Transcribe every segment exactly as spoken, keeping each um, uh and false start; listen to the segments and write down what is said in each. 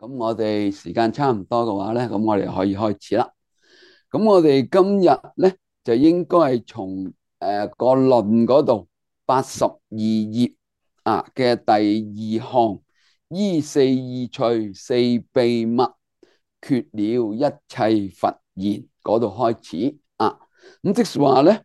咁我哋時間差唔多嘅話咧，咁我哋可以開始啦。咁我哋今日咧就應該係從誒個論嗰度八十二頁啊嘅第二項，依四意趣四秘密，缺了一切佛言嗰度開始啊。咁即是話咧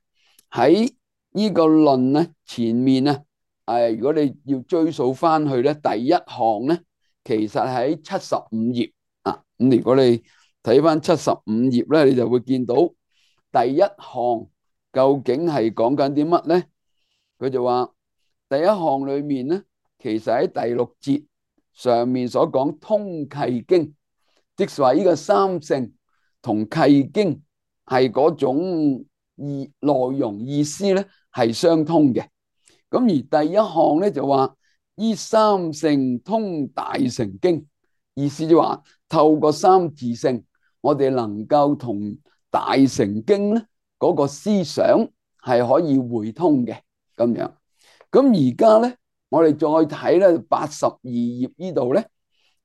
喺呢個論咧前面咧，誒如果你要追溯翻去咧，第一項咧。其實喺七十五頁啊，咁如果你睇翻七十五頁咧，你就會見到第一項究竟係講緊啲乜咧？佢就話第一項裏面咧，其實喺第六節上面所講通契經，即係話呢個三乘同契經係嗰種意內容意思咧係相通嘅。咁而第一項咧就話。依三乘通大乘經，意思就話透過三自性，我哋能夠同大乘經咧嗰個思想係可以會通嘅咁樣。咁而家咧，我哋再睇咧八十二頁呢度咧，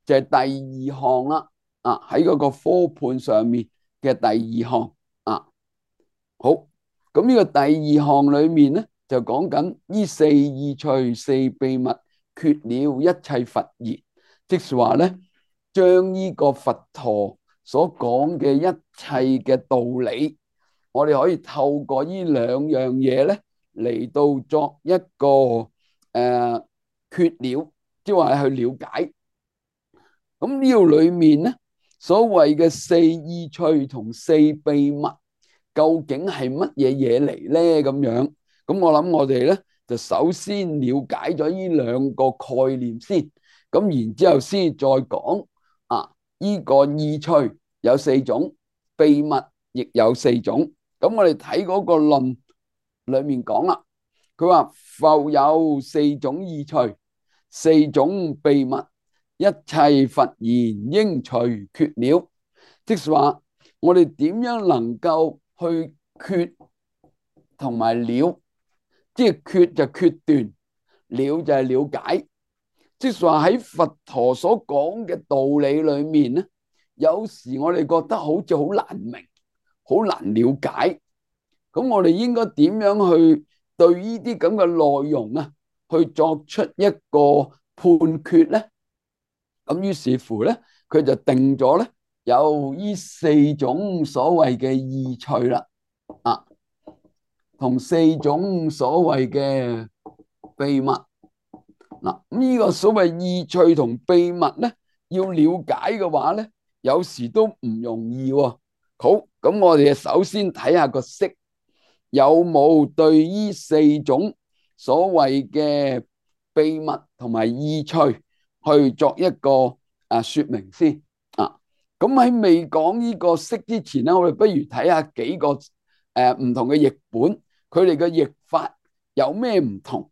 就係第二項啦。啊，喺嗰個科判上面嘅第二項啊，好。咁呢個第二項裏面咧，就講緊依四意趣四秘密。缺了一切佛言，即是話咧，將呢個佛陀所講嘅一切嘅道理，我哋可以透過呢兩樣嘢咧嚟到作一個誒、呃、缺了，即係話去了解。咁呢度裏面咧，所謂嘅四意趣同四秘密，究竟係乜嘢嘢嚟咧？咁樣，咁我諗我哋咧。就首先了解咗呢兩個概念先，咁然之後先再講啊。呢個意趣有四種，秘密亦有四種。咁我哋睇嗰個論裏面講啦，佢話復有四種意趣，四種秘密，一切佛言應隨缺了。即係話我哋點樣能夠去缺同埋了？即係決就決斷，了就係了解。即係話喺佛陀所講嘅道理裏面咧，有時我哋覺得好似好難明，好難了解。咁我哋應該點樣去對呢啲咁嘅內容啊，去作出一個判決咧？咁於是乎咧，佢就定咗咧，有呢四種所謂嘅意趣啦，啊。同四種所謂嘅秘密嗱，呢個所謂意趣同秘密咧，要了解嘅話咧，有時都唔容易喎。好，咁我哋首先睇下個釋，有冇對呢四種所謂嘅秘密同埋意趣去作一個啊說明先啊。咁喺未講呢個釋之前咧，我哋不如睇下幾個誒唔同嘅譯本。佢哋嘅譯法有咩唔同？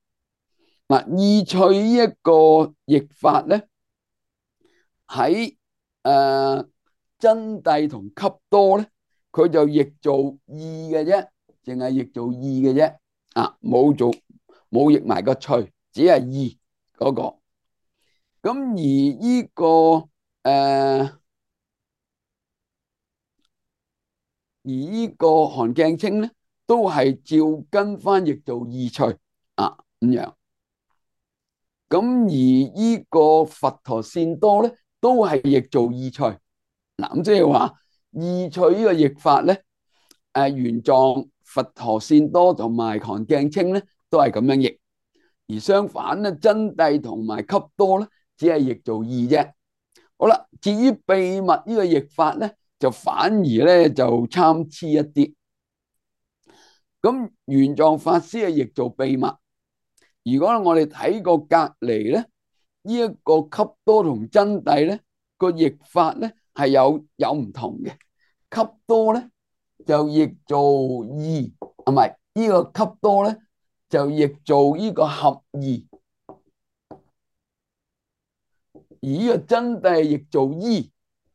嗱，意趣呢一個譯法咧，喺誒真諦同笈多咧，佢就譯做意嘅啫，淨係譯做意嘅啫，啊，冇做冇譯埋個趣，只係意嗰個。咁而呢個誒，而呢個韓鏡清咧，都係照跟翻譯做意趣啊咁樣。咁而呢個佛陀善多咧，都係譯做意趣。嗱，咁即係話意趣呢個譯法咧，誒原藏佛陀善多同埋韓鏡清咧，都係咁樣譯。而相反咧，真諦同埋笈多咧，只係譯做意啫。好啦，至於秘密呢個譯法咧，就反而咧就參差一啲。咁玄奘法師係譯做秘密。如果我哋睇過隔籬咧，呢一個笈多同真諦咧個譯法咧係有有唔同嘅。笈多咧就譯做意，啊唔係呢個笈多咧就譯做呢個合意，而呢個真諦譯做依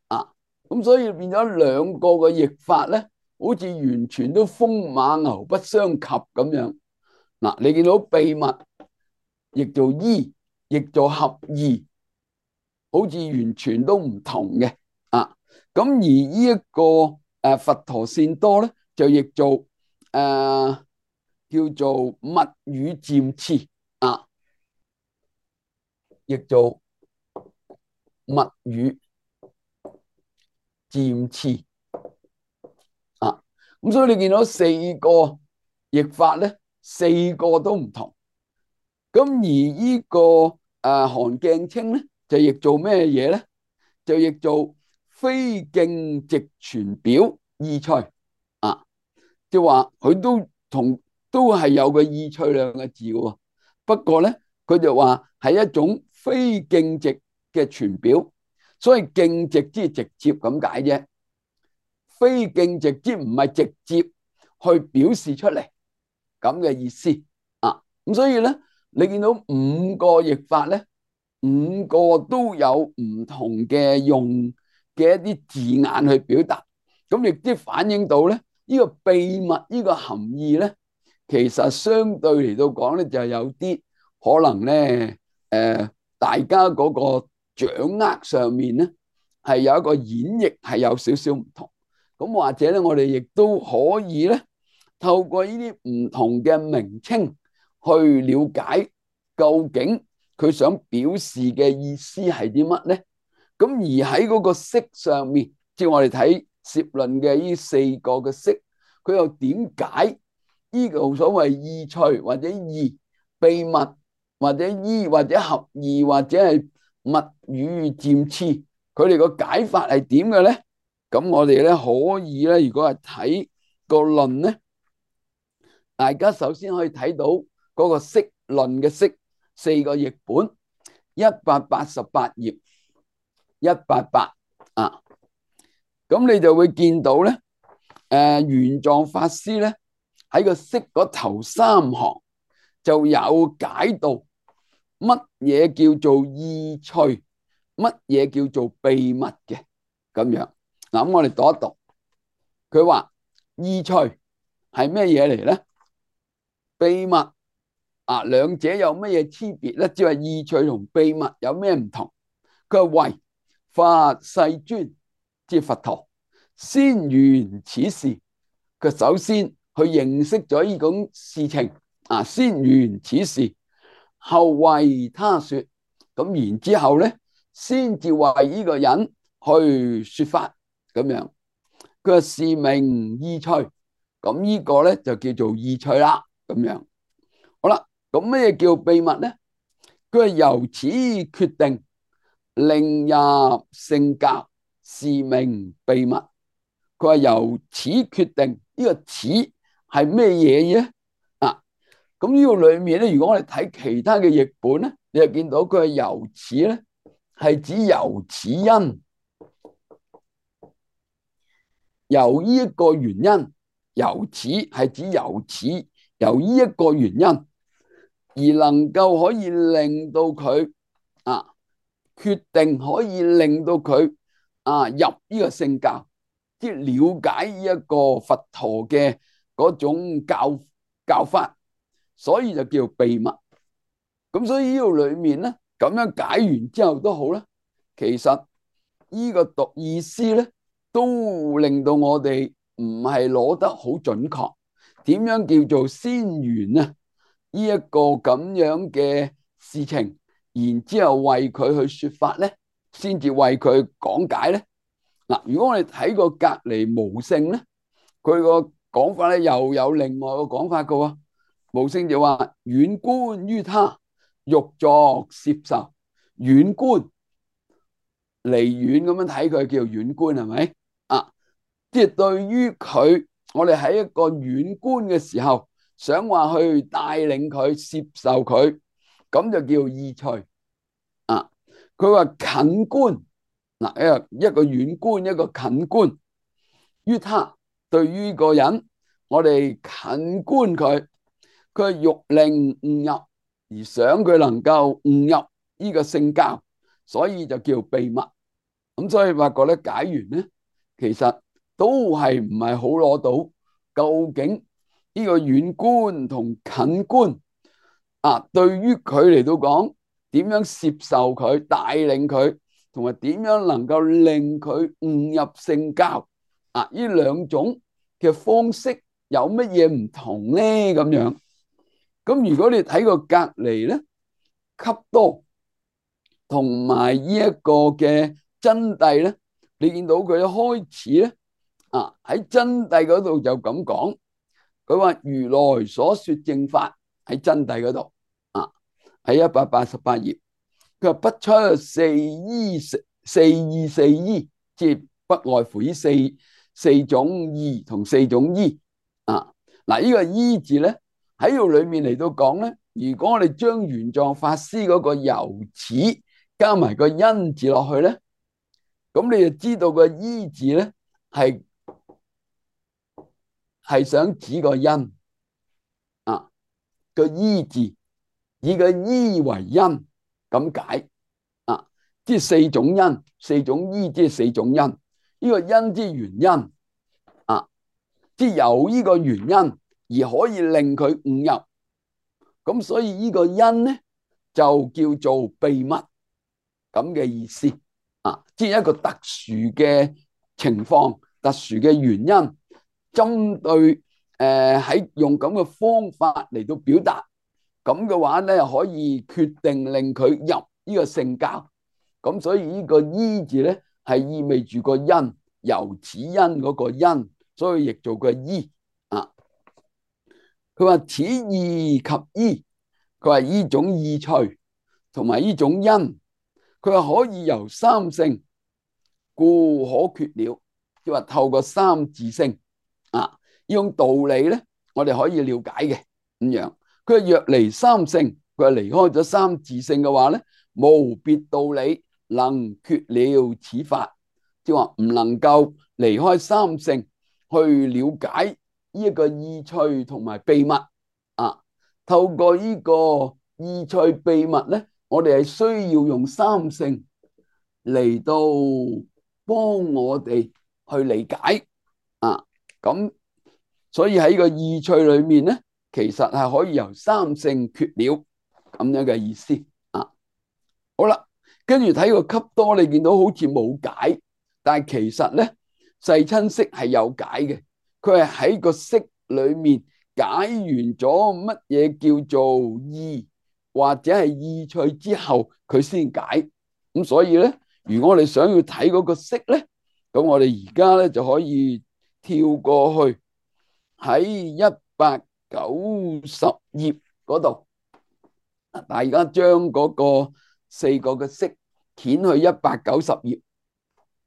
啊。咁所以變咗兩個嘅譯法咧，好似完全都風馬牛不相及咁樣。嗱，你見到秘密譯做依，譯做合意，好似完全都唔同嘅啊。咁而呢一個誒佛陀善多咧，就譯做誒、呃、叫做密語漸次啊，譯做密語漸次啊。咁所以你見到四個譯法咧，四個都唔同。咁而呢、這個誒韓鏡清咧，就譯做咩嘢咧？就譯做非徑直傳表意趣啊，即係話佢都同都係有個意趣兩個字嘅。不過咧，佢就話係一種非徑直嘅傳表，所以徑直即係直接咁解啫。非徑直即唔係直接去表示出嚟咁嘅意思啊。咁所以咧，你見到五個譯法咧，五個都有唔同嘅用嘅一啲字眼去表達，咁亦都反映到咧呢個秘密呢個含義咧，其實相對嚟到講咧就係有啲可能咧，誒，大家嗰個掌握上面咧係有一個演繹係有少少唔同。咁或者咧，我哋亦都可以咧透過呢啲唔同嘅名稱去了解究竟佢想表示嘅意思係啲乜咧？咁而喺嗰個釋上面，即係我哋睇攝論嘅呢四個嘅釋，佢又點解呢個所謂意趣或者義秘密或者依或者合義或者係密語漸次，佢哋個解法係點嘅咧？咁我哋咧可以咧，如果係睇個論咧，大家首先可以睇到嗰個釋論嘅釋四個譯本，一百八十八頁，一八八啊，咁你就會見到咧，誒玄奘法師咧喺個釋嗰頭三行就有解到乜嘢叫做意趣，乜嘢叫做秘密嘅咁樣。嗱，咁我哋讀一讀，佢話意趣係咩嘢嚟咧？秘密啊，兩者有咩嘢區別咧？即係意趣同秘密有咩唔同？佢話為法世尊，即係佛陀先圓此事，佢首先去認識咗呢種事情啊，先圓此事，後為他說，咁然之後咧，先至為呢個人去說法咁樣。佢話是名意趣，咁呢個咧就叫做意趣啦，咁樣。好啦，咁咩叫秘密咧？佢係由此決定，令入聖教，是名秘密。佢話由此決定，呢個此係咩嘢嘢啊？咁呢個裏面咧，如果我哋睇其他嘅譯本咧，你就見到佢係由此咧，係指由此因，由呢一個原因，由此係指由此，由呢一個原因而能夠可以令到佢啊決定，可以令到佢啊入呢個聖教，即係了解呢一個佛陀嘅嗰種教教法，所以就叫秘密。咁所以呢度裏面咧，咁樣解完之後都好啦，其實呢個讀意思咧，都令到我哋唔係攞得好準確。點樣叫做先圓啊？呢一個咁樣嘅事情，然之後為佢去說法咧，先至為佢講解咧。嗱，如果我哋睇過隔離無聖咧，佢個講法咧又有另外個講法嘅喎。無聖就話遠觀於他，欲作攝受。遠觀離遠咁樣睇佢叫遠觀，係咪啊？即係對於佢，我哋喺一個遠觀嘅時候，想話去帶領佢攝受佢，咁就叫意趣啊。佢話近觀嗱，一個一個遠觀，一個近觀於他，對於個人，我哋近觀佢，佢欲令悟入，而想佢能夠悟入呢個聖教，所以就叫秘密。咁所以發覺咧，解完咧，其實都係唔係好攞到究竟呢個遠觀同近觀啊，對於佢嚟到講點樣攝受佢、帶領佢，同埋點樣能夠令佢悟入聖教啊？呢兩種嘅方式有乜嘢唔同咧？咁樣咁如果你睇個隔離咧，笈多同埋呢一個嘅真諦咧，你見到佢一開始咧啊，喺真諦嗰度就咁講，佢話如來所說正法喺真諦嗰度啊，喺一百八十八頁，佢話不出四依四四依四依，即係不外乎呢四四種依同四種依啊。嗱，呢個依字咧喺度裏面嚟到講咧，如果我哋將玄奘法師嗰個由始加埋個因字落去咧，咁你就知道個依字咧係係想指個因啊，個依字以個依為因咁解啊，即係四種因，四種依即係四種因，呢個因之原因啊，即係有呢個原因而可以令佢悟入，咁所以呢個因咧就叫做秘密咁嘅意思啊，即係一個特殊嘅情況、特殊嘅原因，針對誒喺用咁嘅方法嚟到表達，咁嘅話咧可以決定令佢入呢個聖教，咁所以呢個依字咧係意味住個因，由此因嗰個因，所以譯做個依啊。佢話此意及依，佢話呢種意趣同埋呢種因，佢話可以由三性故可決了，即係話透過三自性啊，呢種道理咧，我哋可以了解嘅咁樣。佢話若離三性，佢話離開咗三自性嘅話咧，無別道理能決了此法，即係話唔能夠離開三性去了解呢一個意趣同埋秘密啊。透過呢個意趣秘密咧，我哋係需要用三性嚟到幫我哋去理解啊。咁所以喺個意趣裏面咧，其實係可以由三性決了咁樣嘅意思啊。好啦，跟住睇個笈多，你見到好似冇解，但係其實咧世親釋係有解嘅。佢係喺個釋裏面解完咗乜嘢叫做意或者係意趣之後，佢先解。咁所以咧，如果我哋想要睇嗰個釋咧，咁我哋而家咧就可以跳過去喺一百九十頁嗰度，大家將嗰個四個嘅釋掀去一百九十頁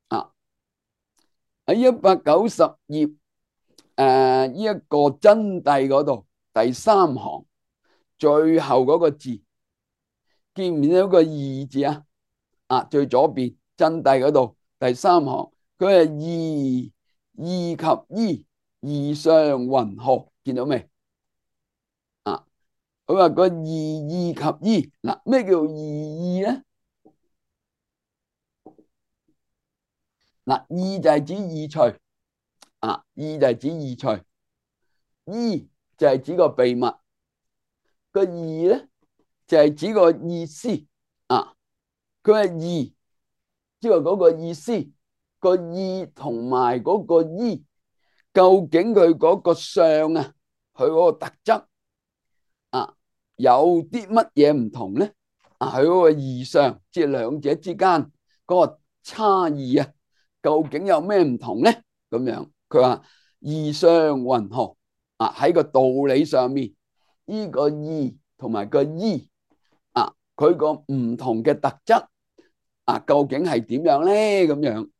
啊。喺一百九十頁誒呢一個真諦嗰度第三行最後嗰個字，見唔見到個義字啊？啊，最左邊真諦嗰度第三行，佢係義義及依，義相云何？見到未？啊，佢話個義義及依，嗱，咩叫義依咧？嗱，義就係指意趣，啊，義就係指意趣，依就係指個秘密，個義咧就係指個意思啊。佢係義，即係嗰個意思，個意同埋嗰個依，究竟佢嗰個相啊，佢嗰個特質啊，有啲乜嘢唔同咧？啊，佢嗰個義相，即係兩者之間嗰個差異啊，究竟有咩唔同咧？咁樣佢話義相云何啊？喺個道理上面，呢個義同埋個依啊，佢個唔同嘅特質啊，究竟係點樣咧？咁樣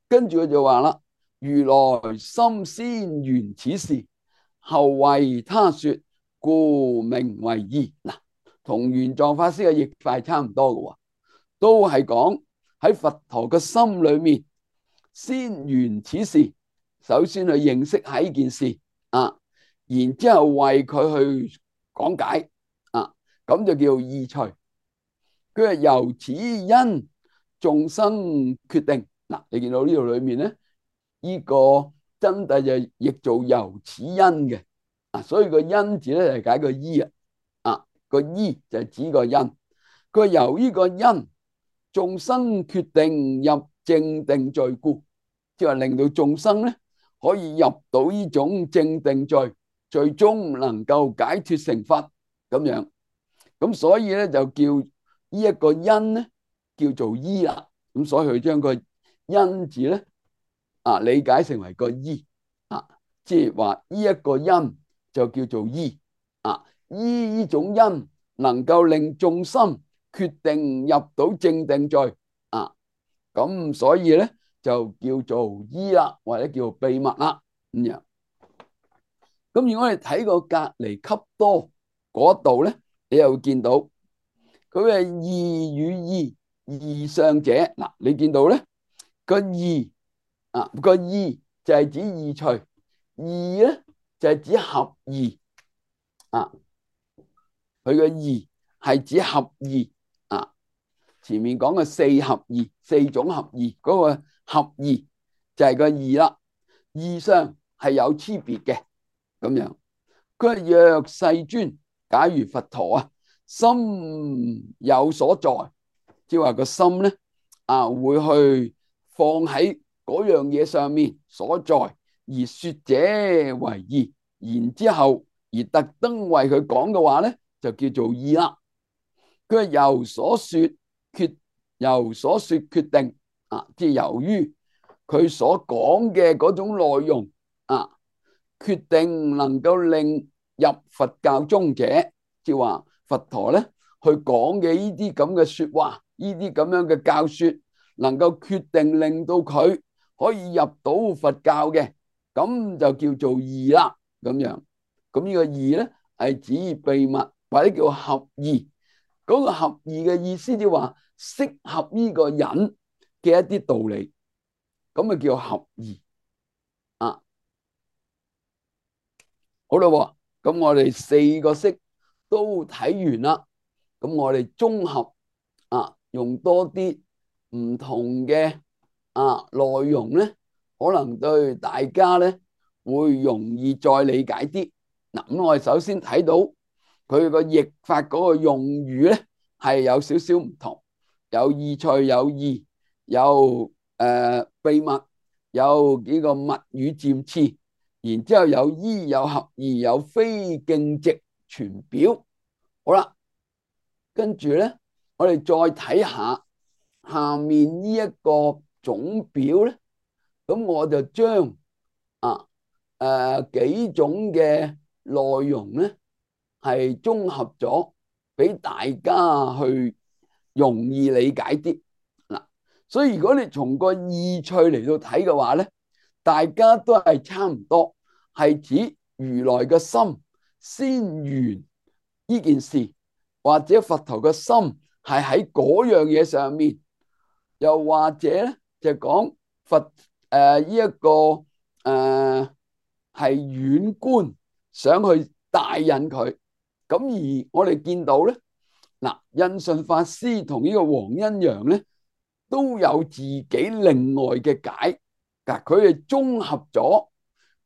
跟住佢就話啦，如來心先圓此事，後為他說，故名為義。嗱，同玄奘法師嘅譯法差唔多嘅，都係講喺佛陀嘅心裏面先圓此事，首先去認識喺呢件事啊，然之後為佢去講解啊，咁就叫義趣。佢係由此因眾生決定。嗱，你見到呢度裏面咧，呢個真諦就譯做由此因嘅啊，所以個因字咧就解個依啊，啊個依就係指個因。佢由呢個因眾生決定入正定罪故，即係令到眾生咧可以入到呢種正定罪，最終能夠解脫成佛咁樣。咁所以咧就叫呢一個因咧叫做依啦。咁所以佢將個因字咧啊理解成為個依啊，即係話呢一個因就叫做依啊。依呢種因能夠令眾生決定入到正定罪啊，咁所以咧就叫做依啦，或者叫秘密啦咁樣。咁如果我哋睇個隔離笈多嗰度咧，你又會見到佢係義與義，義相者。嗱，你見到咧個義啊，個義就係指義趣，義咧就係指合義啊。佢嘅義係指合義啊。前面講嘅四合義，四種合義，嗰個合義就係個義啦。義相係有區別嘅咁樣。佢係若世尊，假如佛陀啊心有所在，即係話個心咧啊會去放喺嗰樣嘢上面所在，而說者為義，然之後而特登為佢講嘅話咧，就叫做義啦。佢係由所說決，由所說決定啊，即係由於佢所講嘅嗰種內容啊，決定能夠令入佛教中者，即係話佛陀咧去講嘅呢啲咁嘅說話，呢啲咁樣嘅教說，能夠決定令到佢可以入到佛教嘅，咁就叫做義啦。咁樣，咁呢個義咧係指秘密或者叫合義。嗰個合義嘅意思就話適合呢個人嘅一啲道理，咁啊叫合義啊。好啦，咁我哋四個式都睇完啦，咁我哋綜合啊，用多啲唔同嘅啊內容咧，可能對大家咧會容易再理解啲。嗱，咁我哋首先睇到佢個譯法嗰個用語咧係有少少唔同，有意趣，有義，有誒秘密，有幾個密語漸次，然之後有依，有合義，有非徑直全表。好啦，跟住咧，我哋再睇下下面呢一個總表咧，咁我就將啊誒幾種嘅內容咧係綜合咗，俾大家去容易理解啲嗱。所以如果你從個意趣嚟到睇嘅話咧，大家都係差唔多，係指如來嘅心先緣呢件事，或者佛陀嘅心係喺嗰樣嘢上面，又或者咧就講佛誒呢一個誒係遠觀想去帶引佢。咁而我哋見到咧，嗱，印順法師同呢個黃恩揚咧都有自己另外嘅解，嗱，佢哋綜合咗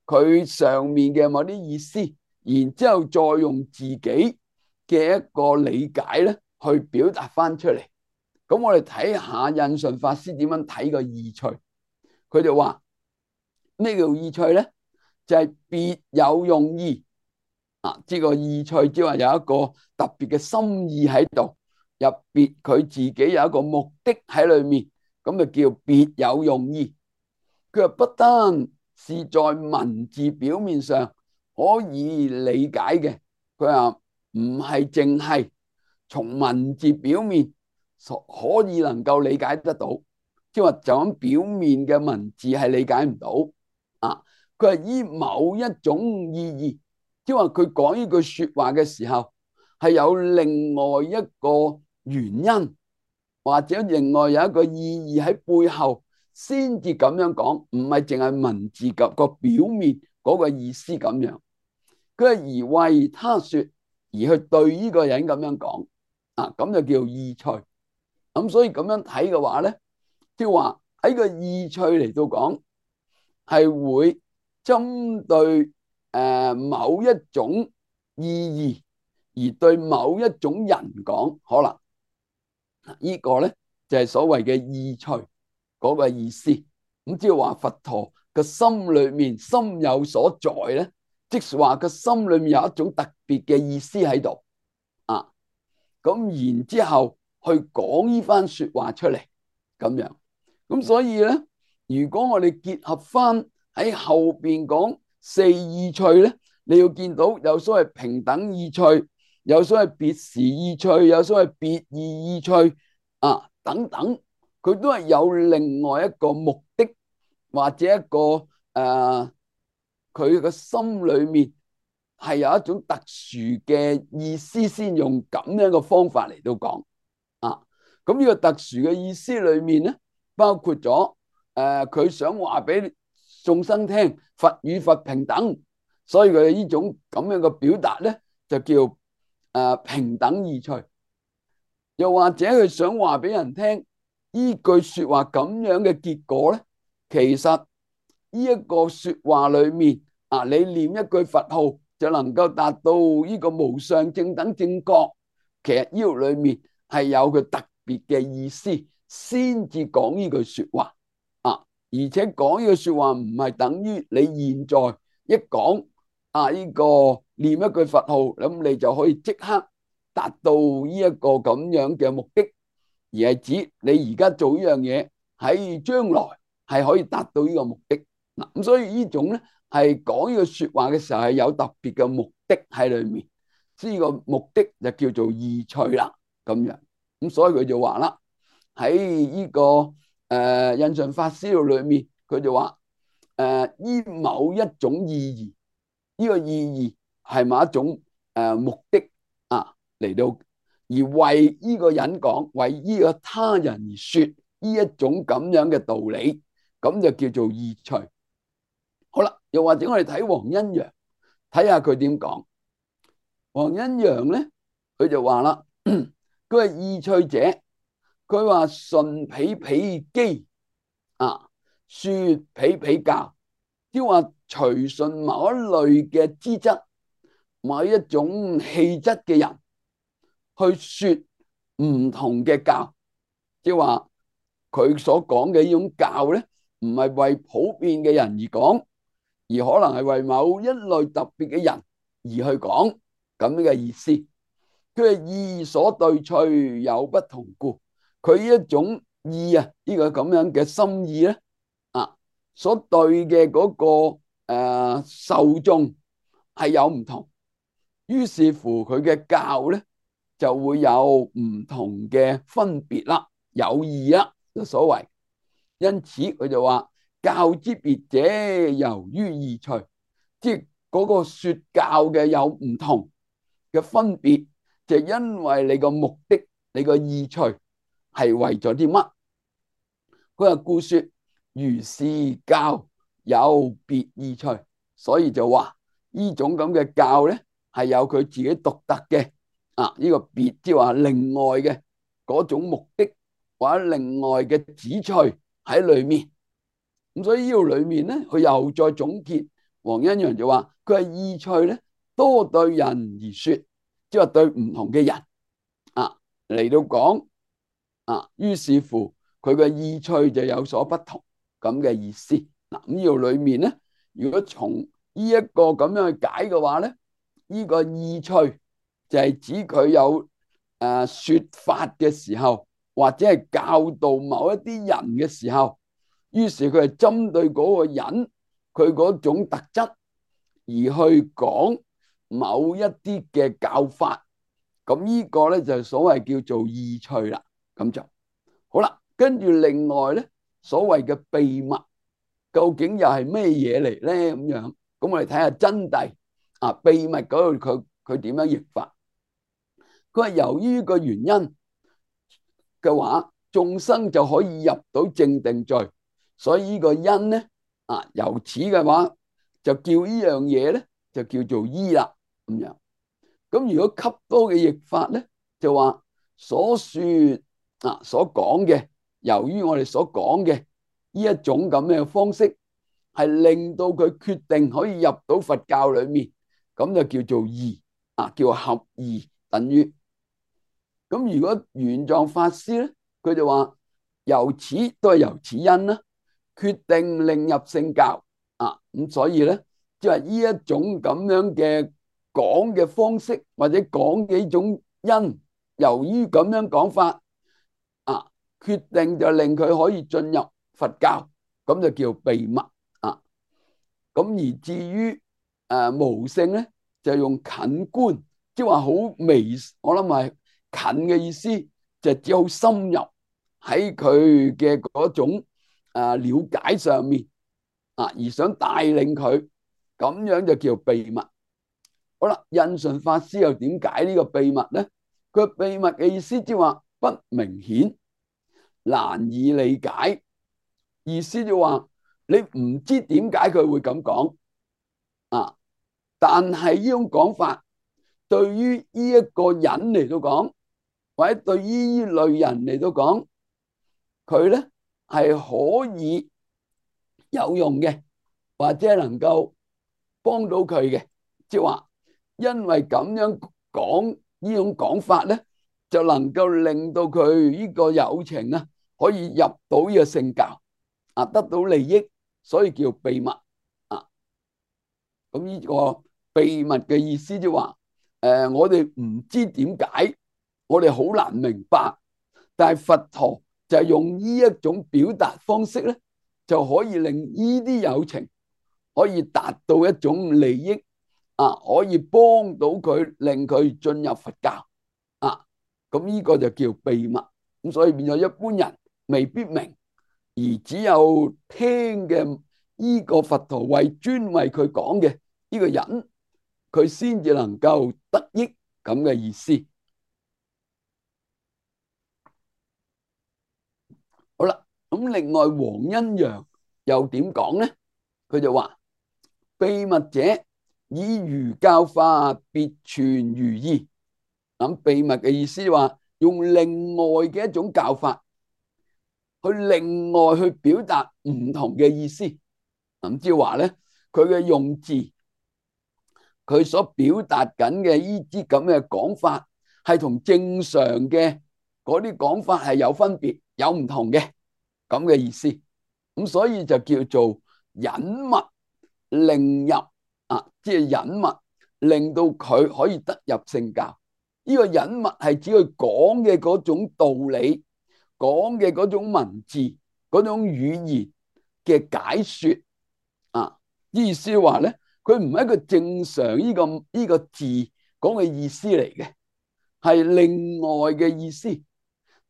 佢上面嘅某啲意思，然之後再用自己嘅一個理解咧去表達翻出嚟。咁我哋睇下印順法師點樣睇個意趣。佢就話咩叫意趣咧？就係別有用意啊！呢個意趣即係話有一個特別嘅心意喺度，入別佢自己有一個目的喺裏面，咁就叫別有用意。佢話不單是在文字表面上可以理解嘅，佢話唔係淨係從文字表面可以能夠理解得到，即係話就咁表面嘅文字係理解唔到啊。佢係依某一種意義，即係話佢講呢句說話嘅時候係有另外一個原因，或者另外有一個意義喺背後先至咁樣講，唔係淨係文字及個表面嗰個意思咁樣。佢係而為他說，而去對呢個人咁樣講啊，咁就叫意趣。咁所以咁樣睇嘅話咧，即係話喺個意趣嚟到講，係會針對誒某一種意義，而對某一種人講，可能呢個咧就係所謂嘅意趣嗰個意思。咁即係話佛陀個心裏面心有所在咧，即係話個心裏面有一種特別嘅意思喺度啊。咁然之後去講呢番說話出嚟咁樣。咁所以咧，如果我哋結合翻喺後邊講四意趣咧，你要見到有所謂平等意趣，有所謂別時意趣，有所謂別異意趣啊等等，佢都係有另外一個目的，或者一個誒，佢、呃、個心裏面係有一種特殊嘅意思，先用咁樣嘅方法嚟到講啊。咁呢個特殊嘅意思裏面咧，包括咗誒，佢、呃、想話俾眾生聽，佛與佛平等，所以佢呢種咁樣嘅表達咧，就叫誒、呃、平等意趣。又或者佢想話俾人聽，呢句說話咁樣嘅結果咧，其實呢一個說話裏面啊，你念一句佛號就能夠達到呢個無上正等正覺，其實呢度裏面係有佢特別嘅意思，先至講呢句說話啊。而且講呢句說話唔係等於你現在一講啊呢個念一句佛號，咁你就可以即刻達到呢一個咁樣嘅目的，而係指你而家做呢樣嘢喺將來係可以達到呢個目的嗱。咁所以呢種咧係講呢個說話嘅時候係有特別嘅目的喺裏面，呢個目的就叫做意趣啦咁樣。咁所以佢就話啦，喺呢個誒印順法師度裏面，佢就話誒依某一種意義，呢個意義係某一種誒目的啊嚟到，而為呢個人講，為呢個他人而說呢一種咁樣嘅道理，咁就叫做意趣。好啦，又或者我哋睇黃恩揚，睇下佢點講。黃恩揚咧，佢就話啦，佢係意趣者，佢話順彼彼機啊，說彼彼教，即係話隨順某一類嘅資質、某一種氣質嘅人去說唔同嘅教，即係話佢所講嘅呢種教咧，唔係為普遍嘅人而講，而可能係為某一類特別嘅人而去講，咁樣嘅意思。佢係意所對趣有不同故，佢呢一種意啊，呢個咁樣嘅心意咧啊，所對嘅嗰個誒受眾係有唔同，於是乎佢嘅教咧就會有唔同嘅分別啦，有異啦，就所謂。因此佢就話教之別者，由於意趣，即係嗰個說教嘅有唔同嘅分別，就因為你個目的，你個意趣係為咗啲乜？佢話故說如是教有別意趣，所以就話呢種咁嘅教咧係有佢自己獨特嘅啊，呢個別即係話另外嘅嗰種目的或者另外嘅旨趣喺裏面。咁所以呢度裏面咧，佢又再總結，黃恩揚就話佢係意趣咧多對人而說，即係話對唔同嘅人啊嚟到講啊，於是乎佢嘅意趣就有所不同咁嘅意思。嗱，咁呢度裏面咧，如果從呢一個咁樣去解嘅話咧，呢個意趣就係指佢有誒說法嘅時候，或者係教導某一啲人嘅時候，於是佢係針對嗰個人佢嗰種特質而去講某一啲嘅教法。咁呢個咧就所謂叫做意趣啦。咁就好啦。跟住另外咧，所謂嘅秘密究竟又係咩嘢嚟咧？咁樣，咁我哋睇下真諦啊。秘密嗰度佢佢點樣譯法？佢係由於個原因嘅話，眾生就可以入到正定聚，所以呢個因咧啊，由此嘅話就叫呢樣嘢咧就叫做依啦。咁樣，咁如果吸多嘅譯法咧，就話所說啊所講嘅，由於我哋所講嘅呢一種咁嘅方式，係令到佢決定可以入到佛教裏面，咁就叫做義啊，叫合義，等於。咁如果玄奘法師咧，佢就話由此都係由此因啦，決定令入聖教啊。咁所以咧，即係呢一種咁樣嘅講嘅方式，或者講幾種因，由於咁樣講法啊，決定就令佢可以進入佛教，咁就叫秘密啊。咁而至於誒無性咧，就用近觀，即係話好微，我諗係近嘅意思，就只好深入喺佢嘅嗰種誒了解上面啊，而想帶領佢，咁樣就叫秘密。好啦，印順法師又點解呢個秘密咧？佢秘密嘅意思即係話不明顯，難以理解，意思就話你唔知點解佢會咁講啊，但係呢種講法對於呢一個人嚟到講，或者對於呢類人嚟到講，佢咧係可以有用嘅，或者係能夠幫到佢嘅，即係話因為咁樣講呢種講法咧，就能夠令到佢呢個友情啊可以入到呢個聖教啊，得到利益，所以叫秘密啊。咁呢個秘密嘅意思即係話，誒，我哋唔知點解，我哋好難明白，但係佛陀就係用呢一種表達方式咧，就可以令呢啲友情可以達到一種利益啊，可以幫到佢，令佢進入佛教啊。咁呢個就叫秘密。咁所以變咗一般人未必明，而只有聽嘅呢個佛陀為專為佢講嘅呢個人，佢先至能夠得益咁嘅意思。好啦，咁另外黃恩揚又點講咧？佢就話秘密者以如教法別傳如義。咁秘密嘅意思話用另外嘅一種教法去另外去表達唔同嘅意思。咁即係話咧，佢嘅用字，佢所表達緊嘅呢啲咁嘅講法，係同正常嘅嗰啲講法係有分別、有唔同嘅咁嘅意思。咁所以就叫做隱密令入啊，即係隱密令到佢可以得入聖教。呢個隱密係指佢講嘅嗰種道理，講嘅嗰種文字，嗰種語言嘅解說啊，意思話咧，佢唔係一個正常呢個呢個字講嘅意思嚟嘅，係另外嘅意思。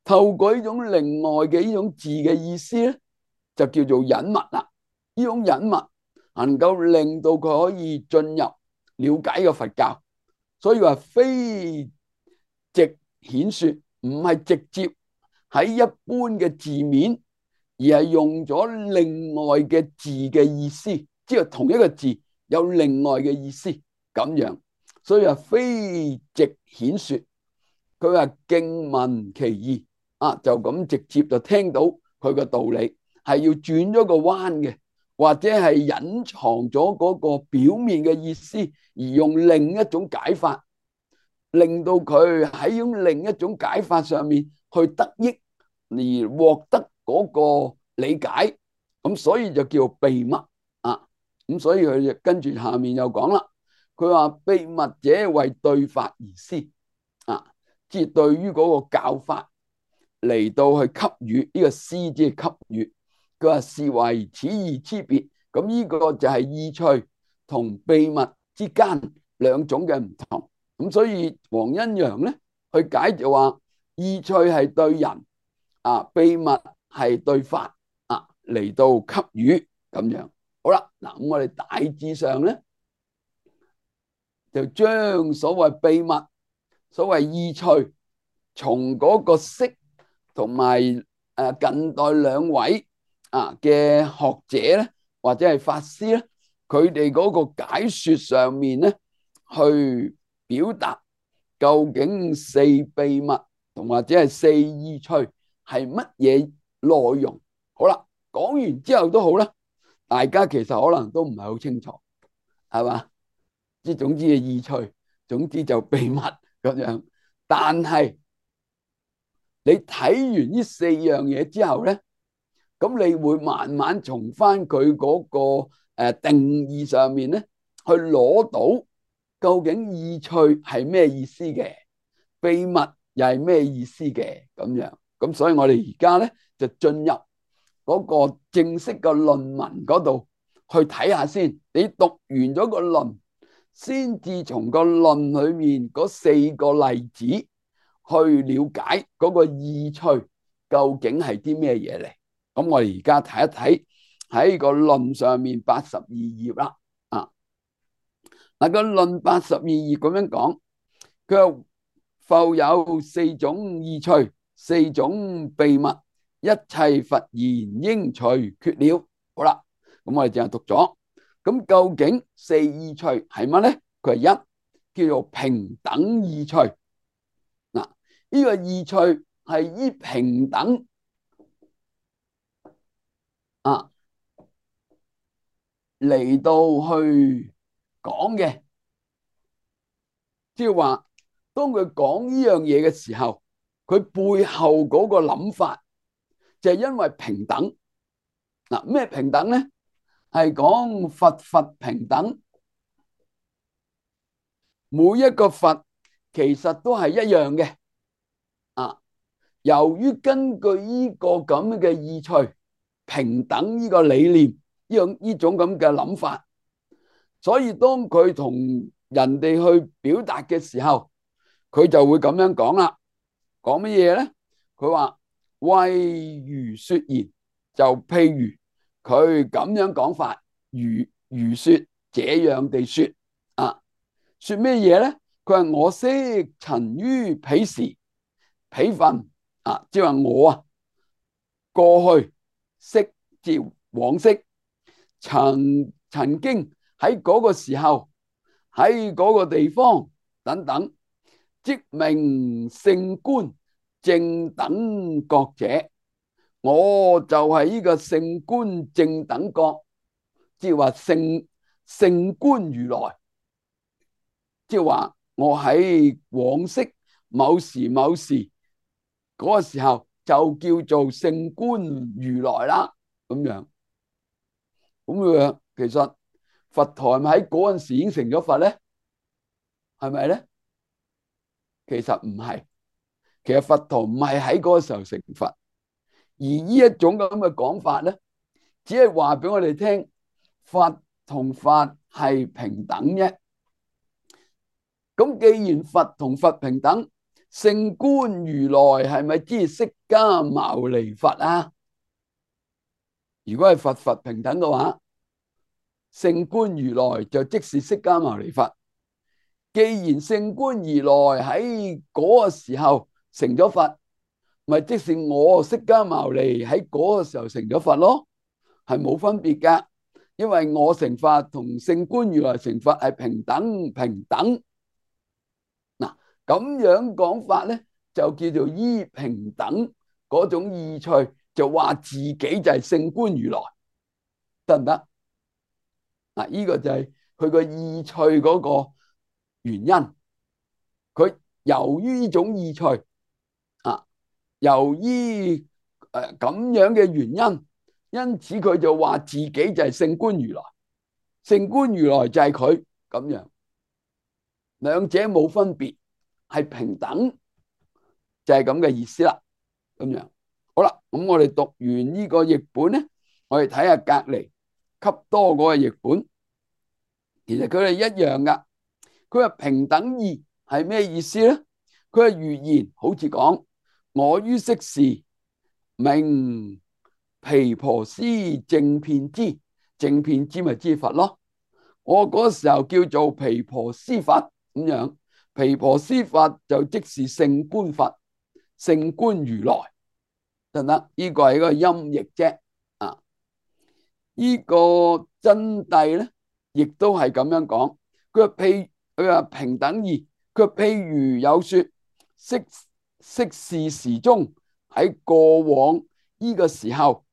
透過呢種另外嘅呢種字嘅意思咧，就叫做隱密啦。呢種隱密能夠令到佢可以進入了解個佛教，所以話非直顯說，唔係直接喺一般嘅字面，而係用咗另外嘅字嘅意思，即係同一個字有另外嘅意思咁樣。所以話非直顯說，佢話徑聞其義啊，就咁直接就聽到佢嘅道理，係要轉咗個彎嘅，或者係隱藏咗嗰個表面嘅意思，而用另一種解法，令到佢喺用另一種解法上面去得益，而獲得嗰個理解，咁所以就叫秘密啊。咁所以佢就跟住下面又講啦，佢話秘密者為對法而施啊，即係對於嗰個教法嚟到去給予呢個施，即係給予。佢話是為此義之別，咁呢個就係意趣同秘密之間兩種嘅唔同。咁所以黃恩揚咧去解就話意趣係對人啊，秘密係對法啊，嚟到給予咁樣。好啦，嗱咁我哋大致上咧就將所謂秘密、所謂意趣，從嗰個釋同埋誒近代兩位啊嘅學者咧，或者係法師咧，佢哋嗰個解說上面咧去表達究竟四秘密同或者係四意趣係乜嘢內容。好啦，講完之後都好啦，大家其實可能都唔係好清楚，係嘛？即係總之嘅意趣，總之就秘密咁樣。但係你睇完呢四樣嘢之後咧，咁你會慢慢從翻佢嗰個誒定義上面咧，去攞到究竟意趣係咩意思嘅，秘密又係咩意思嘅咁樣。咁所以我哋而家咧就進入嗰個正式嘅論文嗰度去睇下先。你讀完咗個論，先至從個論裏面嗰四個例子去了解嗰個意趣究竟係啲咩嘢嚟。咁我哋而家睇一睇喺個論上面八十二頁啦。啊，嗱個論八十二頁咁樣講，佢話復有四種意趣，四種秘密，一切佛言應除缺了。好啦，咁我哋淨係讀咗。咁究竟四意趣係乜咧？佢係一叫做平等意趣。嗱，呢個意趣係依平等啊嚟到去講嘅，即係話當佢講呢樣嘢嘅時候，佢背後嗰個諗法就係因為平等。嗱，咩平等咧？係講佛佛平等，每一個佛其實都係一樣嘅。啊，由於根據呢個咁嘅意趣平等呢個理念，呢種呢種咁嘅諗法，所以當佢同人哋去表達嘅時候，佢就會咁樣講啦。講乜嘢咧？佢話為如說言，就譬如佢咁樣講法，如如說這樣地說啊，說咩嘢咧？佢話我昔曾於彼時彼分啊，即係話我啊過去昔即往昔曾曾經喺嗰個時候喺嗰個地方等等，即名勝觀正等覺者，我就係呢個勝觀正等覺，即係話勝勝觀如來，即係話我喺往昔某時某時嗰個時候就叫做勝觀如來啦，咁樣。咁樣其實佛陀係咪喺嗰陣時已經成咗佛咧？係咪咧？其實唔係，其實佛陀唔係喺嗰個時候成佛，而呢一種咁嘅講法咧，只係話俾我哋聽，佛同佛係平等啫。咁既然佛同佛平等，勝觀如來係咪即係釋迦牟尼佛啊？如果係佛佛平等嘅話，勝觀如來就即是釋迦牟尼佛。既然勝觀如來喺嗰個時候成咗佛，咪即是我釋迦牟尼喺嗰個時候成咗佛咯，係冇分別噶。因為我成佛同勝觀如來成佛係平等平等。嗱，咁樣講法咧，就叫做依平等嗰種意趣，就話自己就係勝觀如來，得唔得？嗱，呢個就係佢個意趣嗰個原因。佢由於呢種意趣啊，由於誒咁樣嘅原因，因此佢就話自己就係勝觀如來，勝觀如來就係佢咁樣，兩者冇分別，係平等，就係咁嘅意思啦。咁樣好啦，咁我哋讀完呢個譯本咧，我哋睇下隔籬笈多嗰個譯本，其實佢哋一樣噶。佢話平等義係咩意思咧？佢係如言，好似講我於昔時名毗婆尸正遍知，正遍知咪知佛咯。我嗰時候叫做毗婆尸佛咁樣，毗婆尸佛就即是勝觀佛、勝觀如來，得唔得？呢個係一個音譯啫。啊，呢個真諦咧，亦都係咁樣講。佢話譬佢話平等義，佢話譬如有說昔昔是時中喺過往呢個時候，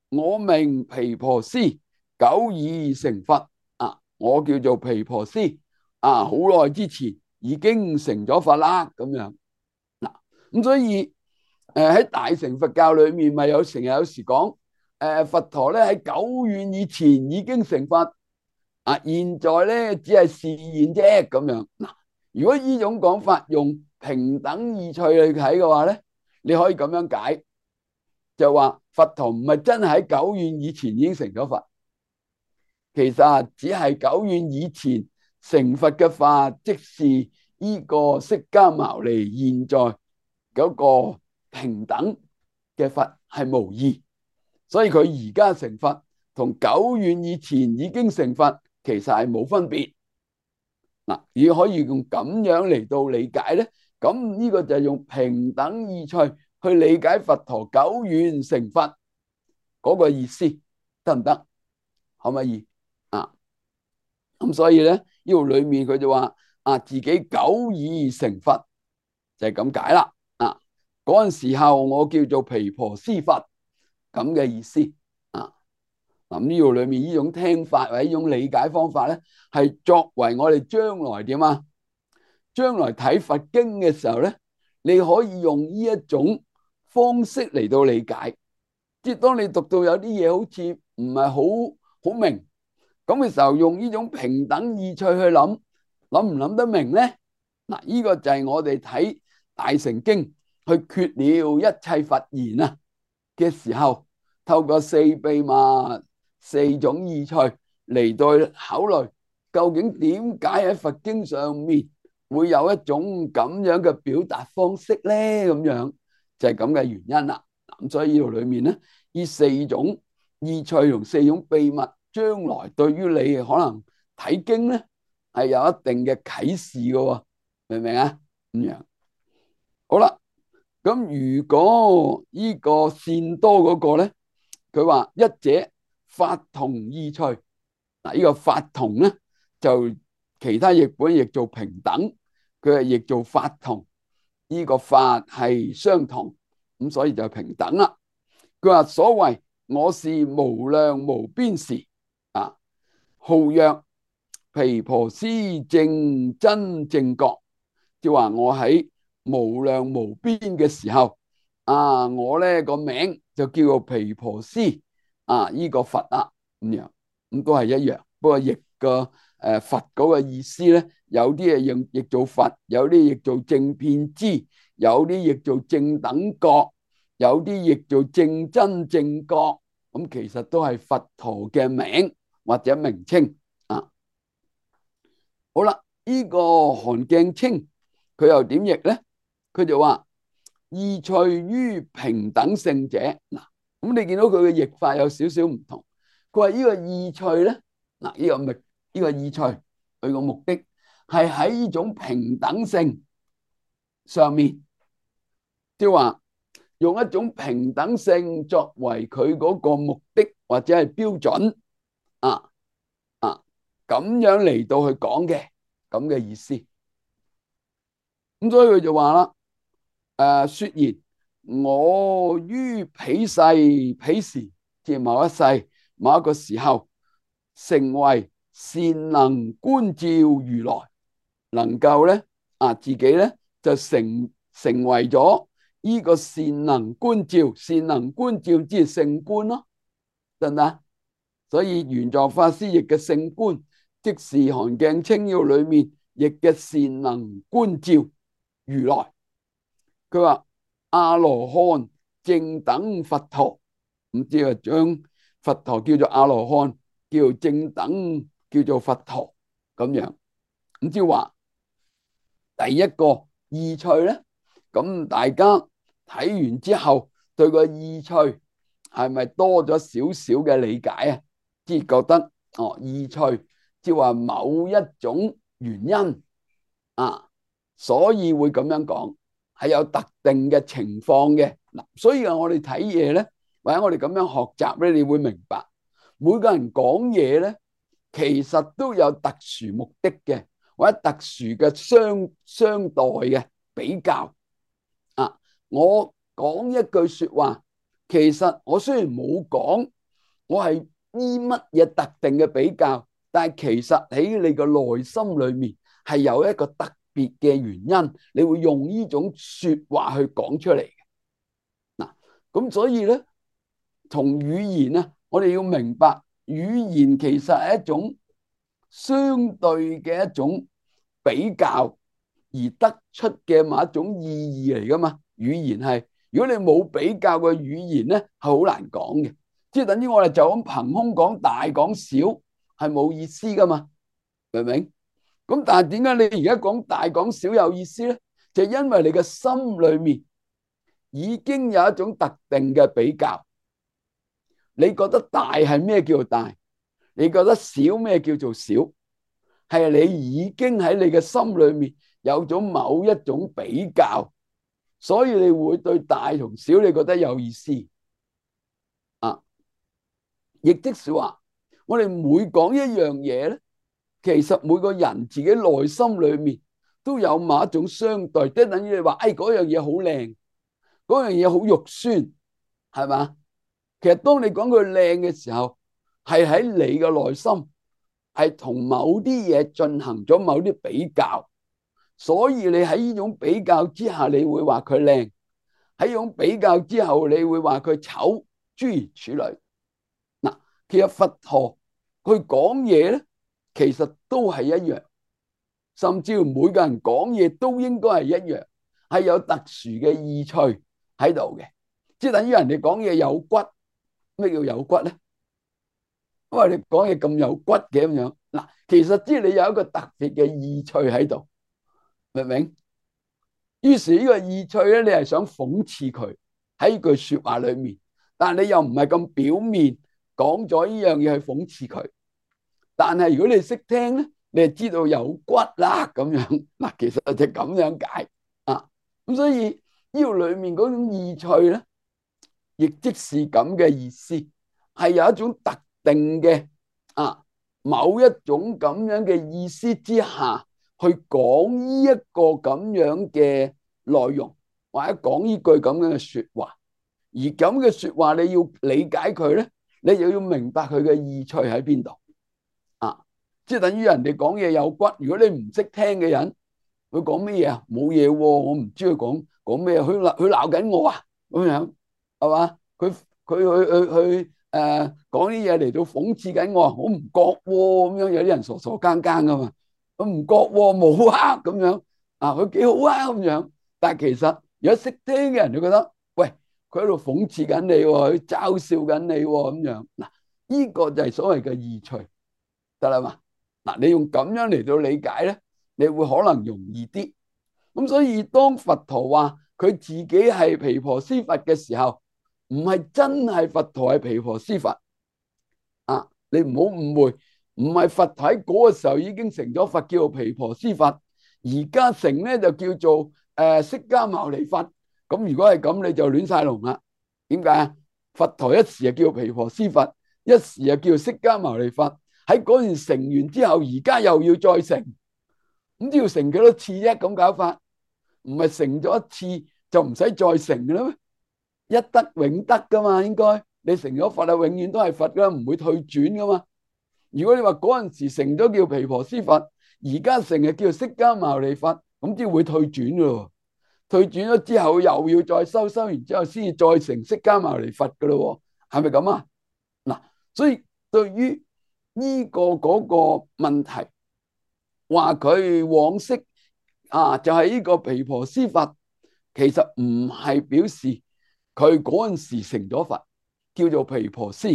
我名毗婆尸，久已成佛啊！我叫做毗婆尸啊，好耐之前已經成咗佛啦，咁樣嗱。咁所以誒喺大乘佛教裏面，咪有成日有時講，誒佛陀咧喺久遠以前已經成佛，啊現在咧只係示現啫咁樣。嗱，如果呢種講法用平等意趣去睇嘅話咧，你可以咁樣解，就話佛陀唔係真係喺久遠以前已經成咗佛，其實只係久遠以前成佛嘅法，即是呢個釋迦牟尼現在嗰個平等嘅佛係無異，所以佢而家成佛同久遠以前已經成佛其實係冇分別。嗱，如果可以用咁樣嚟到理解咧，咁呢個就係用平等意趣去理解佛陀久遠成佛嗰個意思，得唔得？可唔可以啊？咁所以咧，呢度裏面佢就話啊，自己久已成佛，就係咁解啦。啊，嗰陣時候我叫做毗婆尸佛，咁嘅意思啊。咁呢度裏面呢種聽法或者呢種理解方法咧，係作為我哋將來點啊？將來睇佛經嘅時候咧，你可以用呢一種方式嚟到理解。即係當你讀到有啲嘢好似唔係好好明咁嘅時候，用呢種平等意趣去諗，諗唔諗得明咧？嗱，呢個就係我哋睇大乘經去決了一切佛言啊嘅時候，透過四秘密、四種意趣嚟到考慮，究竟點解喺佛經上面會有一種咁樣嘅表達方式咧？咁樣就係咁嘅原因啦。咁所以呢度裏面咧，呢四種意趣同四種秘密，將來對於你可能睇經咧係有一定嘅啟示嘅，明唔明啊？咁樣好啦。咁如果呢個善多嗰個咧，佢話一者法同意趣。嗱，呢個法同咧就其他譯本譯做平等，佢係譯做法同。呢個法係相同，咁所以就平等啦。佢話所謂我是無量無邊時啊，號曰毗婆尸正真正覺，即係話我喺無量無邊嘅時候啊，我咧個名就叫做毗婆尸啊，呢個佛啊咁樣，咁都係一樣。不過譯個誒佛嗰個意思咧，有啲係用譯做佛，有啲譯做正遍知，有啲譯做正等覺，有啲譯做正真正覺，咁其實都係佛陀嘅名或者名稱啊。好啦，呢個韓鏡清佢又點譯咧？佢就話意趣於平等性者。嗱，咁你見到佢嘅譯法有少少唔同。佢話呢個意趣咧，嗱，呢個咪呢個意趣，佢個目的係喺呢種平等性上面，即係話用一種平等性作為佢嗰個目的或者係標準啊啊，咁樣嚟到去講嘅咁嘅意思。咁所以佢就話啦，誒，說言我於彼世彼時，即係某一世某一個時候，成為善能觀照如來，能夠咧啊自己咧就成成為咗呢個善能觀照，善能觀照即係勝觀咯，得唔得？所以玄奘法師譯嘅勝觀，即是韓鏡清要裏面譯嘅善能觀照如來。佢話阿羅漢正等佛陀，咁即係將佛陀叫做阿羅漢，叫做正等，叫做佛陀咁樣。咁即係話第一個意趣咧，咁大家睇完之後，對個意趣係咪多咗少少嘅理解啊？即係覺得哦，意趣即係話某一種原因啊，所以會咁樣講。係有特定嘅情況嘅嗱，所以啊，我哋睇嘢咧，或者我哋咁樣學習咧，你會明白每個人講嘢咧，其實都有特殊目的嘅，或者特殊嘅相相待嘅比較啊。我講一句說話，其實我雖然冇講，我係依乜嘢特定嘅比較，但係其實喺你個內心裏面係有一個特別嘅原因，你會用呢種說話去講出嚟嘅。咁所以咧，從語言啊，我哋要明白語言其實係一種相對嘅一種比較而得出嘅某一種意義嚟噶嘛。語言係，如果你冇比較嘅語言咧，係好難講嘅。即係等於我哋就咁憑空講大講小，係冇意思噶嘛，明唔明？咁但係點解你而家講大講小有意思咧？就因為你嘅心裏面已經有一種特定嘅比較。你覺得大係咩叫做大？你覺得小咩叫做小？係你已經喺你嘅心裏面有咗某一種比較，所以你會對大同小你覺得有意思啊。亦即是話，我哋每講一樣嘢咧，其實每個人自己內心裏面都有某一種相對，即係等於你話，誒嗰樣嘢好靚，嗰樣嘢好肉酸，係嘛？其實當你講佢靚嘅時候，係喺你嘅內心係同某啲嘢進行咗某啲比較，所以你喺呢種比較之下，你會話佢靚；喺呢種比較之後，你會話佢醜，諸如此類。嗱，其實佛陀佢講嘢咧，其實都係一樣，甚至乎每個人講嘢都應該係一樣，係有特殊嘅意趣喺度嘅，即係等於人哋講嘢有骨。咩叫有骨咧？因為你講嘢咁有骨嘅咁樣，嗱，其實即係你有一個特別嘅意趣喺度，明唔明？於是呢個意趣咧，你係想諷刺佢喺句說話裏面，但係你又唔係咁表面講咗呢樣嘢去諷刺佢。但係如果你識聽咧，你就知道有骨啦咁樣。嗱，其實就咁樣解啊。咁所以呢個裏面嗰種意趣咧，亦即是咁嘅意思，係有一種特定嘅啊，某一種咁樣嘅意思之下去講呢一個咁樣嘅內容，或者講呢句咁樣嘅說話。而咁嘅說話你要理解佢咧，你又要明白佢嘅意趣喺邊度啊？即係等於人哋講嘢有骨，如果你唔識聽嘅人，佢講乜嘢啊？冇嘢喎，我唔知佢講講咩，佢鬧佢鬧緊我啊咁樣。係嘛？佢佢去去去誒講啲嘢嚟到諷刺緊我，我唔覺喎咁樣。有啲人傻傻更更噶嘛，我唔覺喎，冇啊咁樣啊，佢幾好啊咁樣。但係其實如果識聽嘅人就覺得，喂，佢喺度諷刺緊你喎，佢嘲笑緊你喎咁樣。嗱，呢個就係所謂嘅意趣，得啦嘛。嗱，你用咁樣嚟到理解咧，你會可能容易啲。咁所以當佛陀話佢自己係毗婆尸佛嘅時候，唔係真係佛陀係毗婆尸佛啊！你唔好誤會，唔係佛陀喺嗰個時候已經成咗佛，叫做毗婆尸佛，而家成咧就叫做誒釋迦牟尼佛。咁如果係咁，你就亂晒龍啦。點解啊？佛陀一時就叫毗婆尸佛，一時又叫釋迦牟尼佛。喺嗰陣成完之後，而家又要再成，咁都要成幾多次啫？咁搞法，唔係成咗一次就唔使再成嘅啦咩？一得永得噶嘛，應該你成咗佛啊，永遠都係佛噶，唔會退轉噶嘛。如果你話嗰陣時成咗叫毗婆尸佛，而家成日叫釋迦牟尼佛，咁先會退轉噶咯。退轉咗之後又要再修，修完之後先至再成釋迦牟尼佛噶咯，係咪咁啊？嗱，所以對於呢個嗰個問題，話佢往昔啊就係呢個毗婆尸佛，其實唔係表示佢嗰陣時成咗佛，叫做毗婆尸，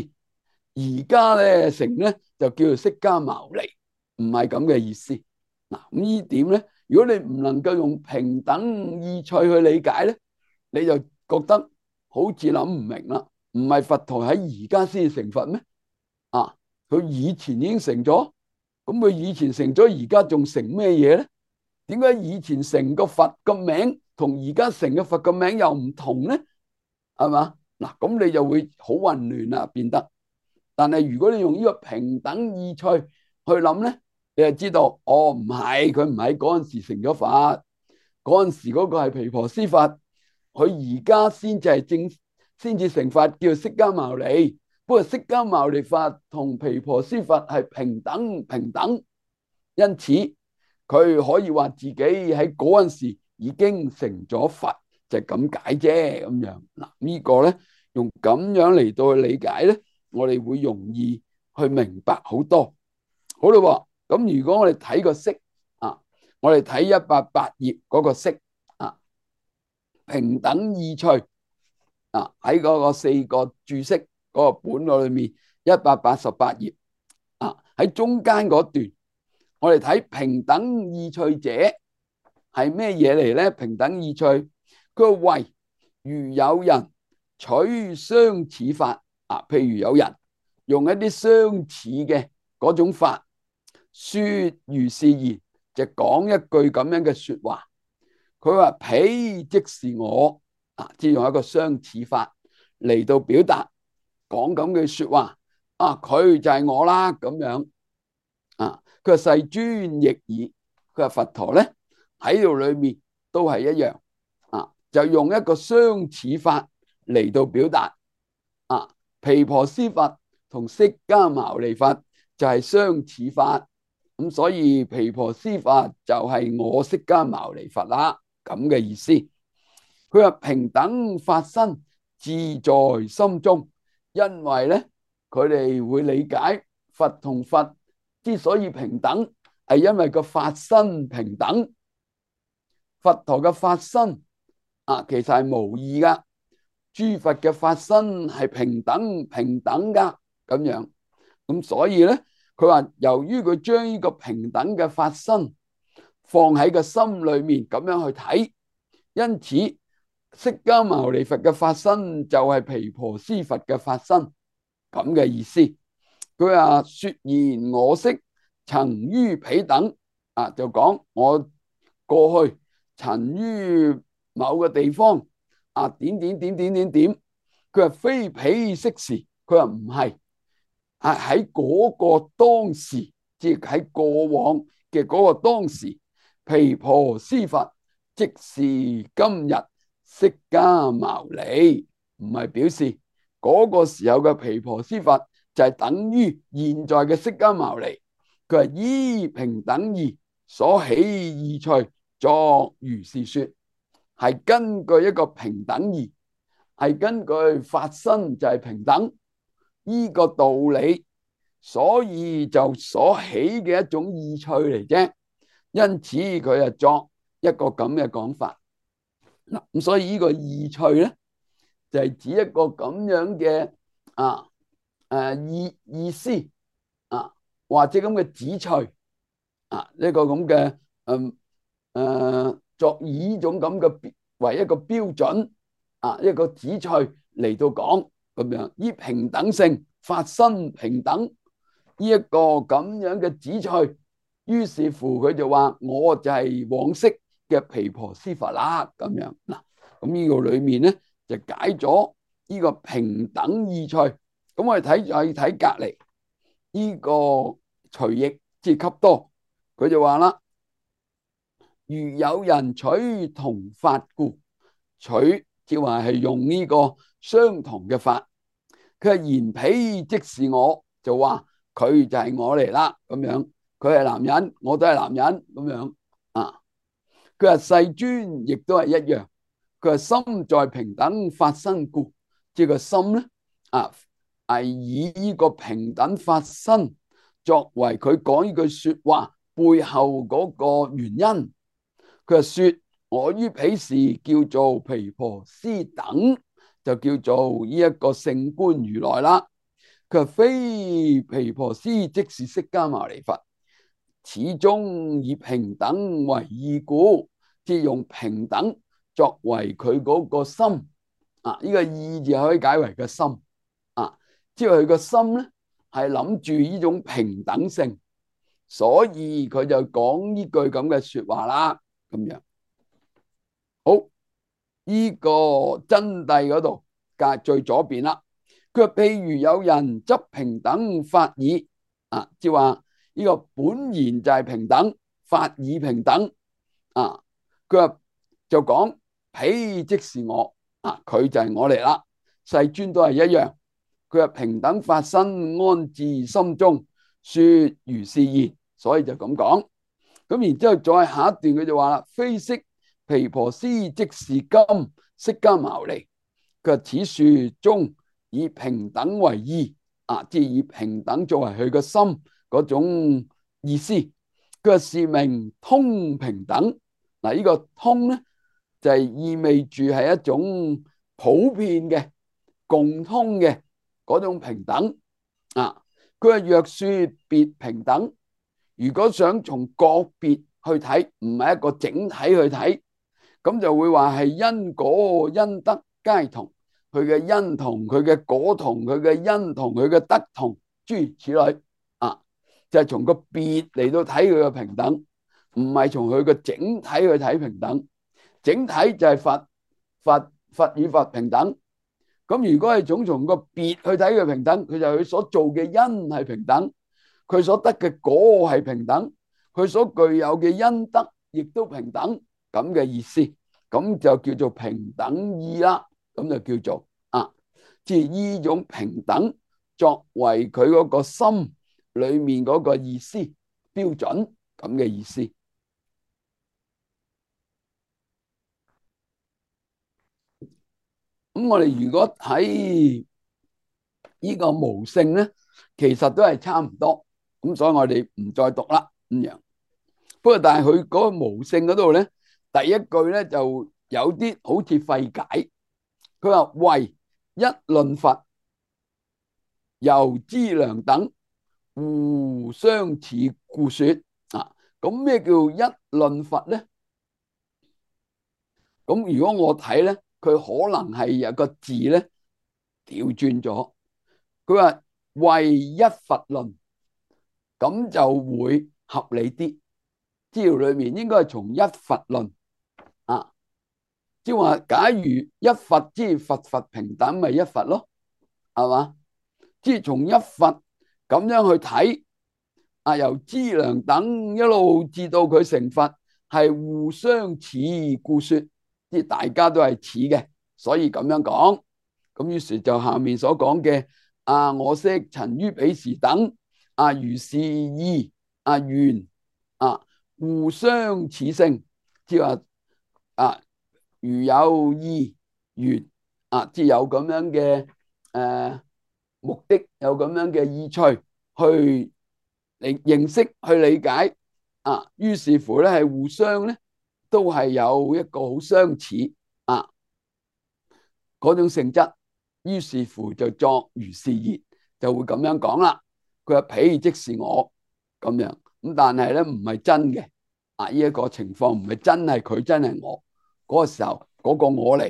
而家咧成咧就叫做釋迦牟尼，唔係咁嘅意思。嗱，咁呢點咧，如果你唔能夠用平等意趣去理解咧，你就覺得好似諗唔明啦。唔係佛陀喺而家先成佛咩？啊，佢以前已經成咗，咁佢以前成咗，而家仲成咩嘢咧？點解以前成個佛個名同而家成嘅佛個名又唔同咧？係嘛？嗱，咁你就會好混亂啦，變得。但係如果你用呢個平等意趣去諗咧，你就知道，哦，唔係，佢唔係嗰陣時成咗佛，嗰陣時嗰個係毗婆尸佛，佢而家先至係正，先至成佛，叫釋迦牟尼。不過釋迦牟尼佛同毗婆尸佛係平等平等，因此佢可以話自己喺嗰陣時已經成咗佛，就係咁解啫咁樣。嗱，呢個咧用咁樣嚟到去理解咧，我哋會容易去明白好多。好啦，咁如果我哋睇個式啊，我哋睇一百八頁嗰個式啊，平等意趣啊，喺嗰個四個注釋嗰個本嗰裏面，一百八十八頁啊，喺中間嗰段，我哋睇平等意趣者係咩嘢嚟咧？平等意趣，佢話謂如有人取相似法啊，譬如有人用一啲相似嘅嗰種法，說如是言，就講一句咁樣嘅說話。佢話彼即是我啊，即係用一個相似法嚟到表達講咁嘅說話啊，佢就係我啦咁樣啊。佢話世尊亦爾，佢話佛陀咧喺度裏面都係一樣啊，就用一個相似法嚟到表達啊。毗婆尸佛同釋迦牟尼佛就係相似法，咁所以毗婆尸佛就係我釋迦牟尼佛啦。咁嘅意思，佢話平等法身自在心中，因為咧佢哋會理解佛同佛之所以平等，係因為個法身平等。佛陀嘅法身啊，其實係無異噶，諸佛嘅法身係平等平等噶咁樣。咁所以咧，佢話由於佢將呢個平等嘅法身放喺個心裏面咁樣去睇，因此釋迦牟尼佛嘅法身就係毗婆尸佛嘅法身咁嘅意思。佢話說言我昔曾於彼等啊，就講我過去曾於某個地方啊，點點點點點點。佢話非彼昔時，佢話唔係啊，喺嗰個當時，即係喺過往嘅嗰個當時。毗婆尸佛即是今日釋迦牟尼，唔係表示嗰個時候嘅毗婆尸佛就係等於現在嘅釋迦牟尼。佢係依平等義所起意趣作如是說，係根據一個平等義，係根據法身就係平等呢個道理，所以就所起嘅一種意趣嚟啫。因此佢就作一個咁嘅講法嗱，咁所以呢個意趣咧就係、是、指一個咁樣嘅啊誒意意思啊，或者咁嘅旨趣啊，呢、這個咁嘅誒誒作以呢種咁嘅為一個標準啊，一個旨趣嚟到講咁樣，以平等性法身平等呢一個咁樣嘅旨趣。於是乎佢就話我就係往昔嘅毗婆尸佛啦咁樣嗱，咁呢個裏面咧就解咗呢個平等意趣。咁我哋睇再睇隔籬呢個隨譯即係笈多，佢就話啦，如有人取同法故，取即係話係用呢個相同嘅法，佢係言彼即是我，就話佢就係我嚟啦咁樣。佢係男人，我都係男人咁樣啊。佢話世尊亦都係一樣。佢話心在平等法身故，即係個心咧啊，係以呢個平等法身作為佢講呢句說話背後嗰個原因。佢話說我於彼時叫做毗婆尸等，就叫做呢一個聖觀如來啦。佢話非毗婆尸即是釋迦牟尼佛。始終以平等為意故，即係用平等作為佢嗰個心啊。呢、這個意字可以解為個心啊，即係佢個心咧係諗住呢種平等性，所以佢就講呢句咁嘅說話啦。咁樣好，呢、這個真諦嗰度隔最左邊啦。佢話譬如有人執平等法義啊，即係話。呢個本言就係平等，法義平等啊。佢話就講彼即是我啊，佢就係我嚟啦。世尊都係一樣。佢話平等法身安置心中，說如是言，所以就咁講。咁然之後再下一段佢就話啦，非悉毗婆尸即是今釋迦牟尼。佢話此樹中以平等為意啊，即係以平等作為佢個心嗰種意思。佢話是名通平等。嗱，呢個通咧就係意味住係一種普遍嘅共通嘅嗰種平等啊。佢話若說別平等，如果想從個別去睇，唔係一個整體去睇，咁就會話係因果因德皆同，佢嘅因同，佢嘅果同，佢嘅因同，佢嘅德同，諸如此類啊，就係從個別嚟到睇佢嘅平等，唔係從佢嘅整體去睇平等。整體就係佛佛佛與佛平等。咁如果係總從個別去睇佢平等，佢就佢所做嘅因係平等，佢所得嘅果係平等，佢所具有嘅因德亦都平等，咁嘅意思，咁就叫做平等意啦。咁就叫做啊，即係呢種平等作為佢嗰個心裏面嗰個意思標準，咁嘅意思。咁我哋如果喺呢個無性咧，其實都係差唔多，咁所以我哋唔再讀啦咁樣。不過但係佢嗰個無性嗰度咧，第一句咧就有啲好似費解。佢話為一論佛，由資糧等互相似故說啊。咁咩叫一論佛咧？咁如果我睇咧，佢可能係有個字咧調轉咗。佢話為一佛論，咁就會合理啲。資料裏面應該係從一佛論啊，即係話假如一佛即係佛佛平等，咪一佛咯，係嘛？即係從一佛咁樣去睇啊，由資糧等一路至到佢成佛，係互相似故說，即係大家都係似嘅，所以咁樣講。咁於是就下面所講嘅啊，我昔曾於彼時等啊，如是意啊緣啊，互相似性，即係話啊，如有意緣啊，即係有咁樣嘅誒、呃、目的，有咁樣嘅意趣去嚟認識去理解啊，於是乎咧係互相咧都係有一個好相似啊嗰種性質。於是乎就作如是言，就會咁樣講啦。佢話彼即是我咁樣，咁但係咧唔係真嘅啊！呢一個情況唔係真係佢真係我嗰個時候嗰個我嚟，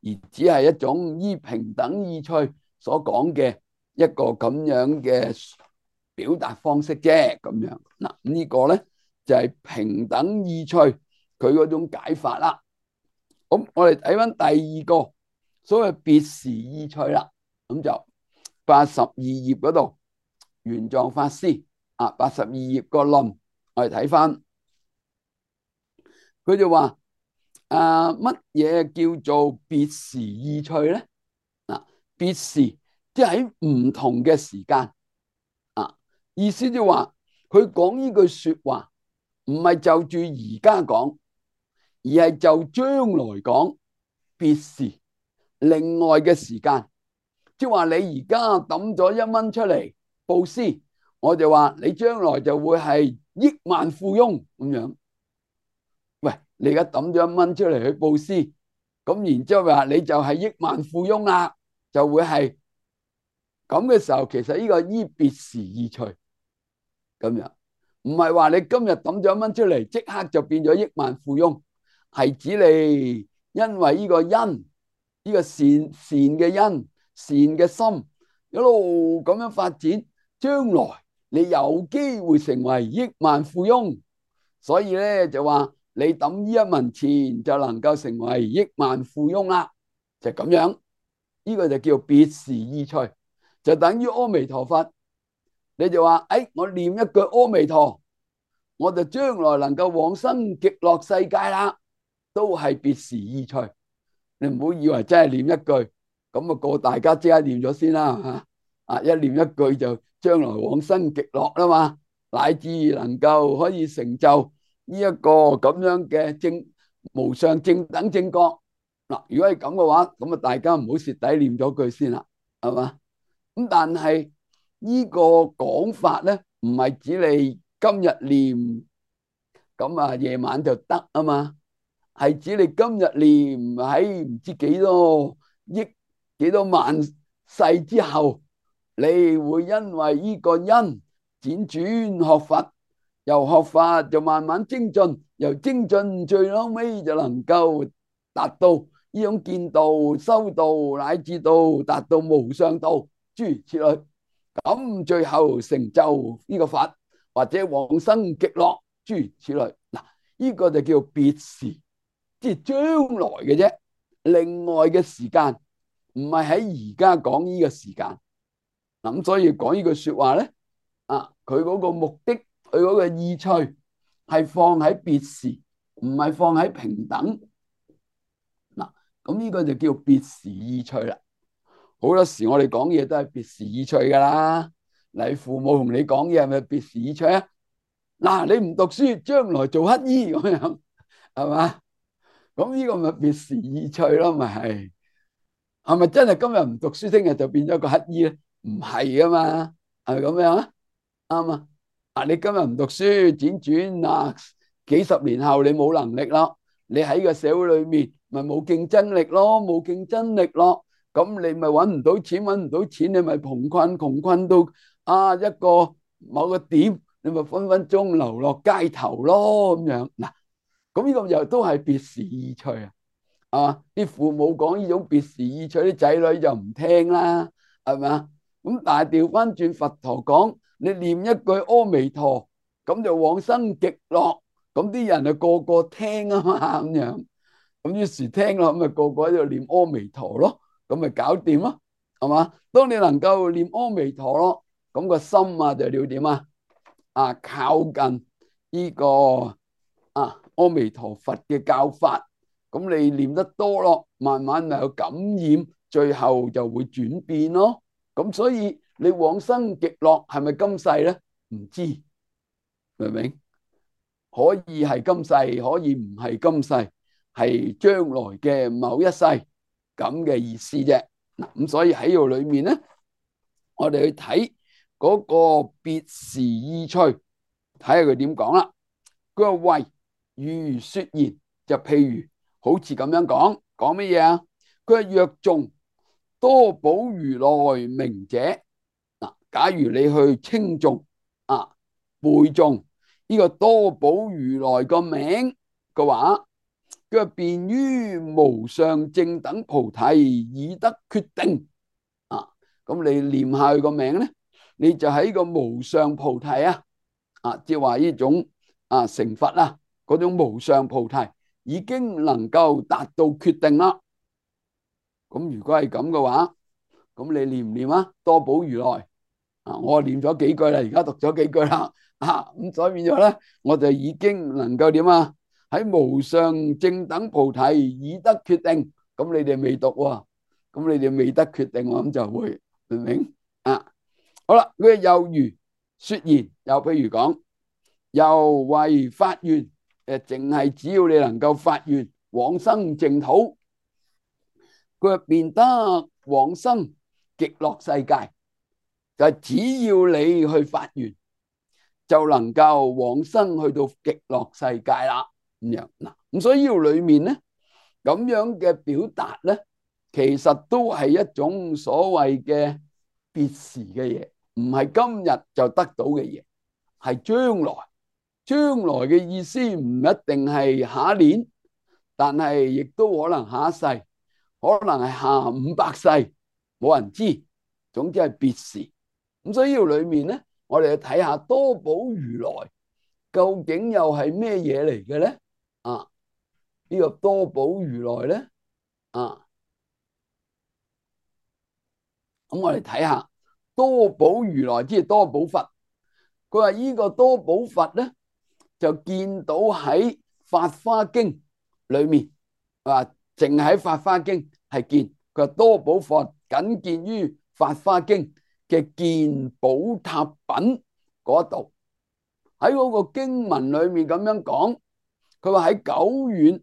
而只係一種依平等意趣所講嘅一個咁樣嘅表達方式啫。咁樣嗱，呢個咧就係平等意趣佢嗰種解法啦。咁我哋睇翻第二個。所謂別時意趣啦，咁就八十二頁嗰度，玄奘法師啊，八十二頁個論，我哋睇翻，佢就話啊，乜嘢叫做別時意趣咧？啊，別時即係喺唔同嘅時間啊，意思就話佢講呢句說話，唔係就住而家講，而係就將來講別時。另外嘅時間，即係話你而家抌咗一蚊出嚟布施，我就話你將來就會係億萬富翁咁樣。喂，你而家抌咗一蚊出嚟去布施，咁然之後話你就係億萬富翁啦，就會係咁嘅時候，其實呢個依別時意趣咁樣，唔係話你今日抌咗一蚊出嚟，即刻就變咗億萬富翁，係指你因為呢個因。呢個善善嘅因善嘅心一路咁樣發展，將來你有機會成為億萬富翁，所以咧就話你抌呢一文錢就能夠成為億萬富翁啦，就咁樣。呢、這個就叫別時意趣，就等於阿彌陀佛，你就話誒、哎，我念一句阿彌陀，我就將來能夠往生極樂世界啦，都係別時意趣。你唔好以為真係念一句咁啊，個大家即刻念咗先啦吓啊！一念一句就將來往生極樂啦嘛，乃至能夠可以成就呢一個咁樣嘅正無上正等正覺。嗱，如果係咁嘅話，咁啊大家唔好蝕底念咗句先啦，係嘛？咁但係呢個講法咧，唔係指你今日念，咁啊夜晚就得啊嘛，係指你今日念喺唔知幾多億幾多萬世之後，你會因為呢個因輾轉學佛，由學法就慢慢精進，由精進最後尾就能夠達到呢種見道、修道，乃至到達到無上道，諸如此類。咁最後成就呢個佛，或者往生極樂，諸如此類。嗱，呢個就叫別時，即係將來嘅啫。另外嘅時間唔係喺而家講呢個時間。咁所以講呢句說話咧，啊，佢嗰個目的，佢嗰個意趣係放喺別時，唔係放喺平等。嗱，咁呢個就叫別時意趣啦。好多時我哋講嘢都係別時意趣噶啦。你父母同你講嘢係咪別時意趣啊？嗱，你唔讀書，將來做乞衣咁樣，係嘛？咁呢個咪別時意趣咯，咪係？係咪真係今日唔讀書，聽日就變咗個乞衣咧？唔係噶嘛，係咪咁樣啊？啱啊！啊，你今日唔讀書，輾轉啊，幾十年後你冇能力咯，你喺個社會裏面咪冇競爭力咯，冇競爭力咯，咁你咪搵唔到錢，搵唔到錢，你咪窮困，窮困到啊一個某個點，你咪分分鐘流落街頭咯，咁樣嗱，咁呢個又都係別時意趣啊！啊！啲父母講呢種別時意趣，啲仔女就唔聽啦，係咪啊？咁但係調翻轉佛陀講，你念一句阿彌陀，咁就往生極樂，咁啲人就個個聽啊嘛，咁樣，咁於是聽咯，咁咪個個喺度念阿彌陀咯，咁咪搞掂咯，係嘛？當你能夠念阿彌陀咯，咁個心啊就要點啊？啊，靠近呢個啊阿彌陀佛嘅教法。咁你念得多咯，慢慢咪有感染，最後就會轉變咯。咁所以你往生極樂係咪今世咧？唔知，明唔明？可以係今世，可以唔係今世，係將來嘅某一世咁嘅意思啫。嗱，咁所以喺度裏面咧，我哋去睇嗰個別時意趣，睇下佢點講啦。佢話為如說言，就譬如。好似咁樣講，講乜嘢啊？佢係若誦多寶如來名者，嗱，假如你去稱誦啊背誦呢個多寶如來個名嘅話，佢係便於無上正等菩提已得決定啊！咁你念下佢個名咧，你就喺個無上菩提啊，啊，即係話呢種啊成佛啊嗰種無上菩提。已經能夠達到決定啦。咁如果係咁嘅話，咁你念唔念啊？多寶如來啊，我念咗幾句啦，而家讀咗幾句啦。啊，咁所以變咗咧，我就已經能夠點啊？喺無上正等菩提已得決定。咁你哋未讀喎，咁你哋未得決定，我諗就會明唔明啊？好啦，佢又如說言，又譬如講，又為發願。誒，淨係只要你能夠發願往生淨土，佢便得往生極樂世界。就係只要你去發願，就能夠往生去到極樂世界啦。咁樣嗱，咁所以呢度裏面咧，咁樣嘅表達咧，其實都係一種所謂嘅別時嘅嘢，唔係今日就得到嘅嘢，係將來。將來嘅意思唔一定係下一年，但係亦都可能下一世，可能係下五百世，冇人知。總之係別時。咁所以呢度裏面咧，我哋去睇下多寶如來究竟又係咩嘢嚟嘅咧？啊，呢個多寶如來咧，啊，咁我哋睇下多寶如來即係多寶佛。佢話呢個多寶佛咧，就見到喺法華經裏面，啊，淨喺法華經係見佢話多寶佛僅見於法華經嘅見寶塔品嗰度，喺嗰個經文裏面咁樣講，佢話喺久遠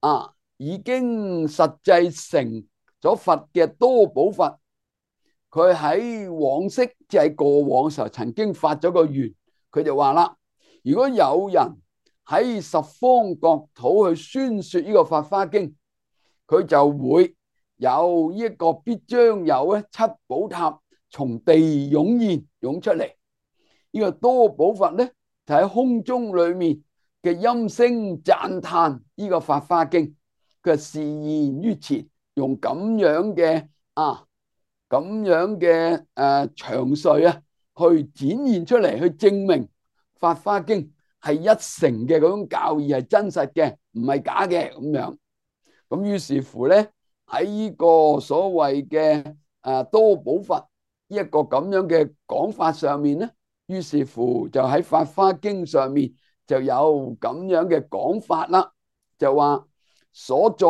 啊，已經實際成咗佛嘅多寶佛，佢喺往昔即係過往時候曾經發咗個願，佢就話啦：如果有人喺十方國土去宣說呢個《法華經》，佢就會有一個必將有咧七寶塔從地湧現湧出嚟。呢個多寶佛咧就喺空中裏面嘅音聲讚嘆呢個《法華經》，佢示現於前，用咁樣嘅啊咁樣嘅誒詳述啊，去展現出嚟，去證明《法華經》係一成嘅嗰種教義係真實嘅，唔係假嘅咁樣。咁於是乎咧，喺呢個所謂嘅誒多寶佛呢一個咁樣嘅講法上面咧，於是乎就喺《法華經》上面就有咁樣嘅講法啦，就話所在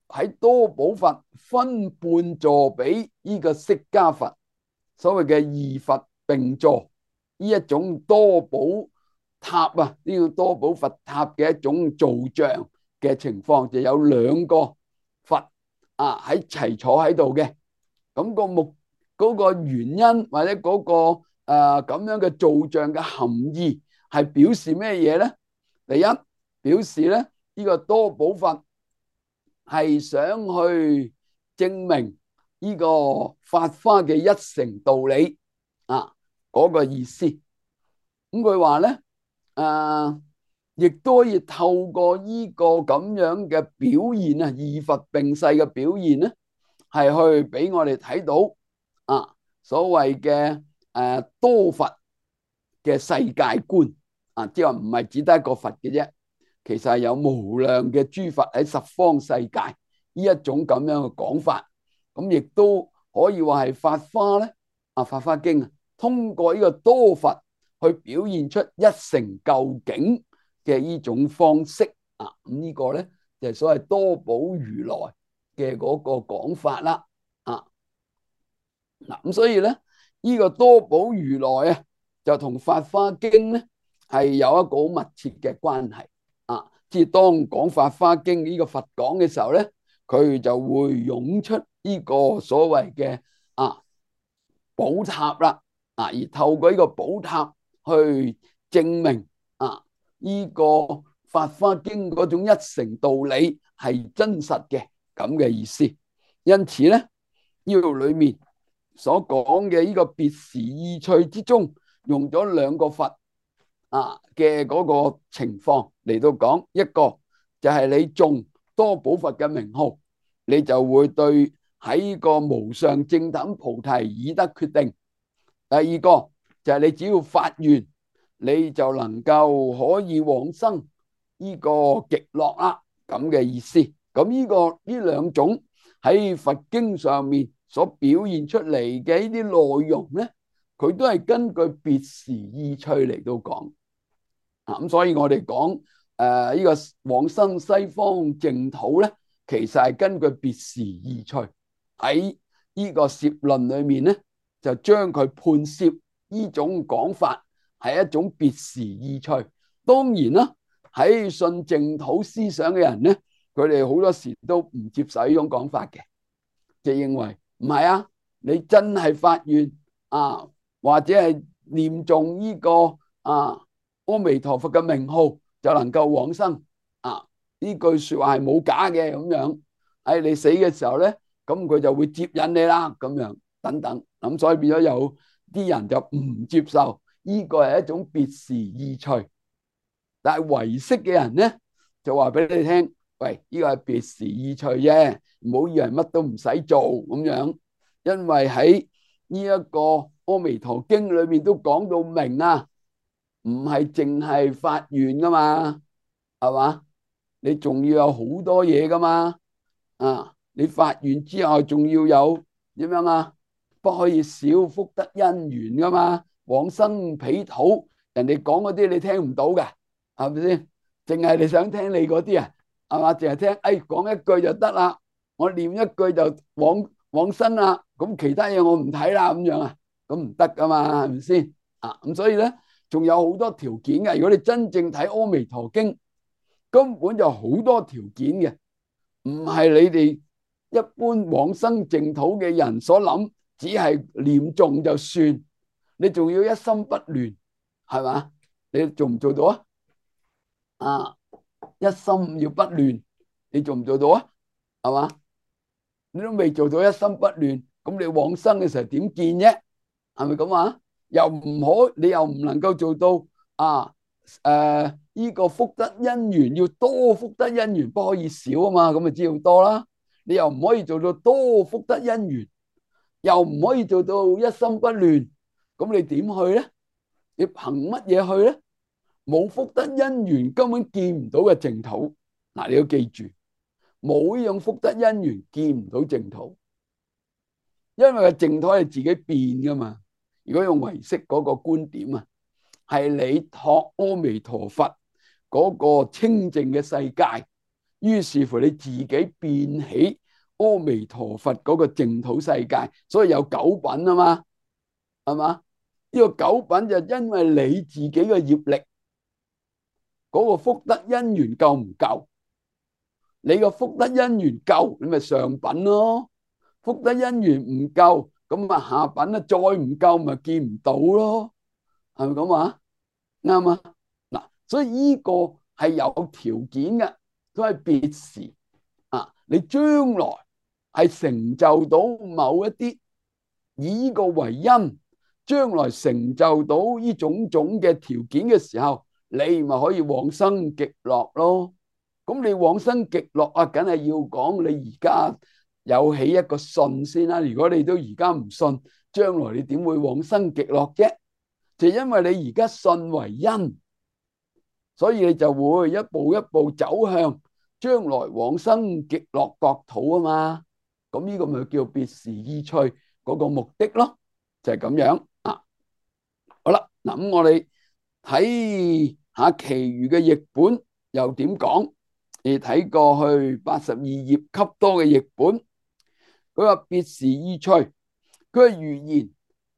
喺多寶佛分半座俾呢個釋迦佛，所謂嘅二佛並坐呢一種多寶塔啊，呢個多寶佛塔嘅一種造像嘅情況，就有兩個佛啊喺齊坐喺度嘅。咁個目嗰個原因或者嗰個誒咁樣嘅造像嘅含義係表示咩嘢咧？第一，表示咧呢個多寶佛係想去證明呢個法華嘅一成道理啊，嗰個意思。咁佢話咧誒亦都可以透過呢個咁樣嘅表現啊，二佛並世嘅表現咧，係去俾我哋睇到啊，所謂嘅誒多佛嘅世界觀啊，即係話唔係只得一個佛嘅啫，其實係有無量嘅諸佛喺十方世界呢一種咁樣嘅講法。咁亦都可以話係法華咧啊，《法華經》啊，通過呢個多佛去表現出一成究竟嘅呢種方式啊，咁呢個咧就係所謂多寶如來嘅嗰個講法啦啊。嗱，咁所以咧呢個多寶如來啊，就同《法華經》咧係有一個好密切嘅關係啊。即係當講《法華經》呢個佛講嘅時候咧，佢就會湧出呢個所謂嘅啊寶塔啦啊，而透過呢個寶塔去證明啊呢個《法華經》嗰種一成道理係真實嘅咁嘅意思。因此咧呢度裏面所講嘅呢個別時意趣之中，用咗兩個佛啊嘅嗰個情況嚟到講，一個就係你誦多寶佛嘅名號，你就會對喺個無上正等菩提已得決定。第二個就係你只要發願，你就能夠可以往生呢個極樂啦，咁嘅意思。咁呢個呢兩種喺佛經上面所表現出嚟嘅呢啲內容咧，佢都係根據別時意趣嚟到講啊。咁所以我哋講誒呢個往生西方淨土咧，其實係根據別時意趣喺呢個攝論裏面咧，就將佢判攝呢種講法係一種別時意趣。當然啦，喺信淨土思想嘅人咧，佢哋好多時都唔接受呢種講法嘅，就認為唔係啊，你真係發願啊，或者係念誦呢個啊阿彌陀佛嘅名號就能夠往生啊，呢句說話係冇假嘅咁樣。喺你死嘅時候咧，咁佢就會接引你啦，咁樣等等。咁所以變咗有啲人就唔接受呢個係一種別時意趣，但係唯識嘅人咧就話俾你聽，喂，呢個係別時意趣啫，唔好以為乜都唔使做咁樣，因為喺呢一個阿彌陀經裏面都講到明啊，唔係淨係發願噶嘛，係嘛？你仲要有好多嘢噶嘛，啊！你發願之後仲要有點樣啊？不可以少福德因緣噶嘛，往生彼土，人哋講嗰啲你聽唔到嘅，係咪先？淨係你想聽你嗰啲啊，係嘛？淨係聽，哎，講一句就得啦，我念一句就往往生啦，咁其他嘢我唔睇啦，咁樣啊，咁唔得噶嘛，係咪先？啊，咁所以咧，仲有好多條件嘅。如果你真正睇《阿彌陀經》，根本就好多條件嘅，唔係你哋一般往生淨土嘅人所諗，只係念誦就算，你仲要一心不亂，係嘛？你做唔做到啊？啊，一心要不亂，你做唔做到啊？係嘛？你都未做到一心不亂，咁你往生嘅時候點見啫？係咪咁啊？又唔可，你又唔能夠做到啊？誒，呢個福德因緣要多福德因緣，不可以少啊嘛，咁咪只要多啦。你又唔可以做到多福德因緣，又唔可以做到一心不亂，咁你點去咧？你憑乜嘢去咧？冇福德因緣根本見唔到嘅淨土。嗱，你要記住，冇呢種福德因緣見唔到淨土，因為個淨土係自己變噶嘛。如果用唯識嗰個觀點啊，係你託阿彌陀佛嗰個清淨嘅世界，於是乎你自己變起阿彌陀佛嗰個淨土世界，所以有九品啊嘛，係嘛？呢個九品就因為你自己嘅業力嗰個福德因緣夠唔夠？你個福德因緣夠，你咪上品咯。福德因緣唔夠，咁啊下品咧再唔夠，咪見唔到咯。係咪咁啊？啱啊！嗱，所以呢個係有條件嘅，都係別時啊。你將來係成就到某一啲，以呢個為因，將來成就到呢種種嘅條件嘅時候，你咪可以往生極樂咯。咁你往生極樂啊，梗係要講你而家有起一個信先啦。如果你都而家唔信，將來你點會往生極樂啫？就因為你而家信為因，所以你就會一步一步走向將來往生極樂國土啊嘛。咁呢個咪叫別時意趣嗰個目的咯，就係咁樣啊。好啦，嗱咁我哋睇下其餘嘅譯本又點講。你睇過去八十二頁給多嘅譯本，佢話別時意趣，佢係如言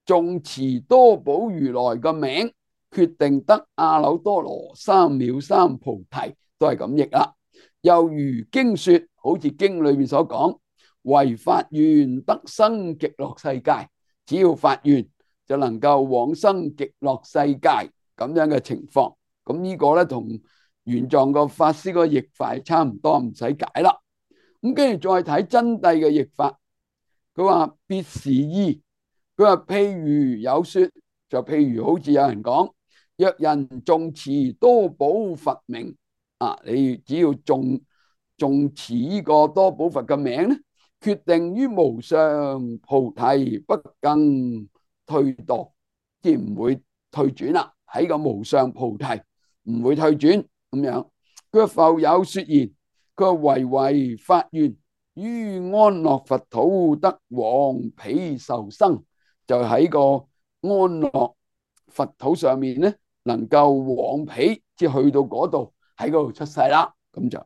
誦持多寶如來嘅名，決定得阿耨多羅三藐三菩提，都係咁譯啦。又如經說，好似經裏面所講，唯發願得生極樂世界，只要發願就能夠往生極樂世界咁樣嘅情況。咁呢個咧同玄奘個法師個譯法差唔多，唔使解啦。咁跟住再睇真諦嘅譯法，佢話別時意，佢話譬如有說，就譬如好似有人講，若人誦持多寶佛名啊，你只要誦誦持呢個多寶佛嘅名咧，決定於無上菩提不更退墮，即係唔會退轉啦，喺個無上菩提唔會退轉咁樣。佢復有說言，佢唯唯發願於安樂佛土得往彼受生，就喺個安樂佛土上面咧，能夠往彼，即係去到嗰度，喺嗰度出世啦。咁就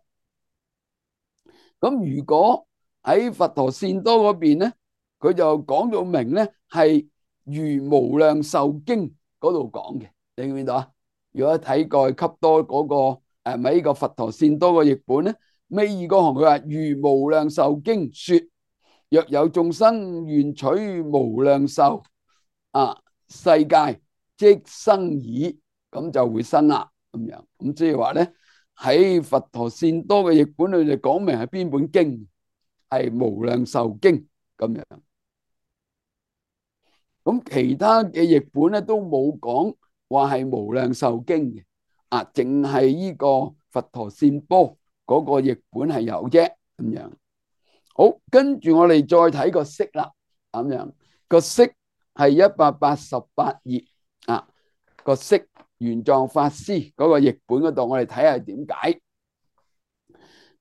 咁。如果喺佛陀善多嗰邊咧，佢就講到明咧，係如無量壽經嗰度講嘅，你見唔見到啊？如果睇過去給多嗰個誒咪呢個佛陀善多嘅譯本咧，尾二嗰行佢話如無量壽經說，若有眾生願取無量壽啊世界，即生矣，咁就會生啦咁樣。咁即係話咧，喺佛陀善多嘅譯本裏就講明係邊本經，係無量壽經咁樣。咁其他嘅譯本咧都冇講話係無量壽經嘅，啊，淨係呢個佛陀善波嗰個譯本係有啫咁樣。好，跟住我哋再睇個釋啦，咁樣個釋係一百八十八頁啊，個釋玄奘法師嗰個譯本嗰度，我哋睇下點解。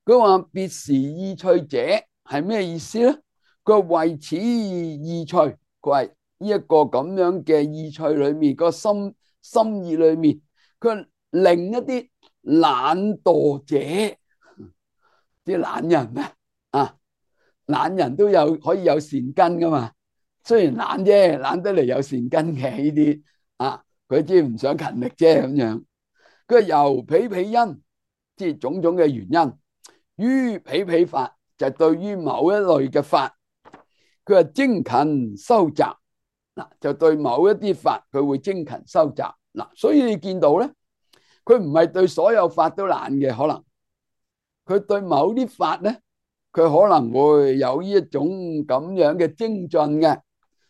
佢話別時意趣者係咩意思咧？佢話為此意趣，佢話呢一個咁樣嘅意趣裏面，個心心意裏面，佢令一啲懶惰者，啲懶人啊，啊懶人都有可以有善根噶嘛，雖然懶啫，懶得嚟有善根嘅呢啲啊，佢只係唔想勤力啫咁樣。佢話由彼彼因即係種種嘅原因。於彼彼法就對於某一類嘅法，佢係精勤修習嗱，就對某一啲法佢會精勤修習嗱，所以你見到咧，佢唔係對所有法都懶嘅，可能佢對某啲法咧，佢可能會有呢一種咁樣嘅精進嘅，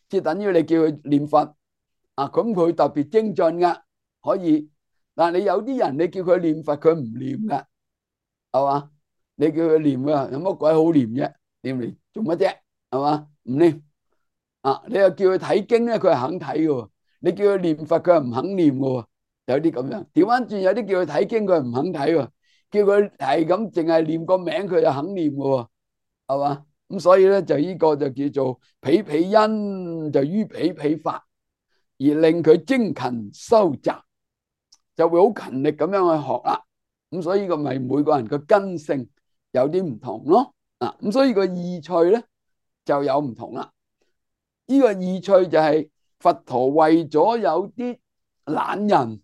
即係等於你叫佢念佛啊，咁佢特別精進噶，可以。但係你有啲人你叫佢念佛，佢唔念噶，係嘛？你叫佢念啊，有乜鬼好念啫？念嚟做乜啫？係嘛？唔念啊！你又叫佢睇經咧，佢係肯睇嘅。你叫佢念佛，佢係唔肯念嘅。有啲咁樣，調翻轉有啲叫佢睇經，佢係唔肯睇嘅。叫佢係咁，淨係念個名，佢就肯念嘅，係嘛？咁所以咧，就呢個就叫做彼彼因，就於彼彼法而令佢精勤修習，就會好勤力咁樣去學啦。咁所以呢個咪每個人嘅根性有啲唔同咯。啊，咁所以個意趣咧就有唔同啦。呢個意趣就係佛陀為咗有啲懶人，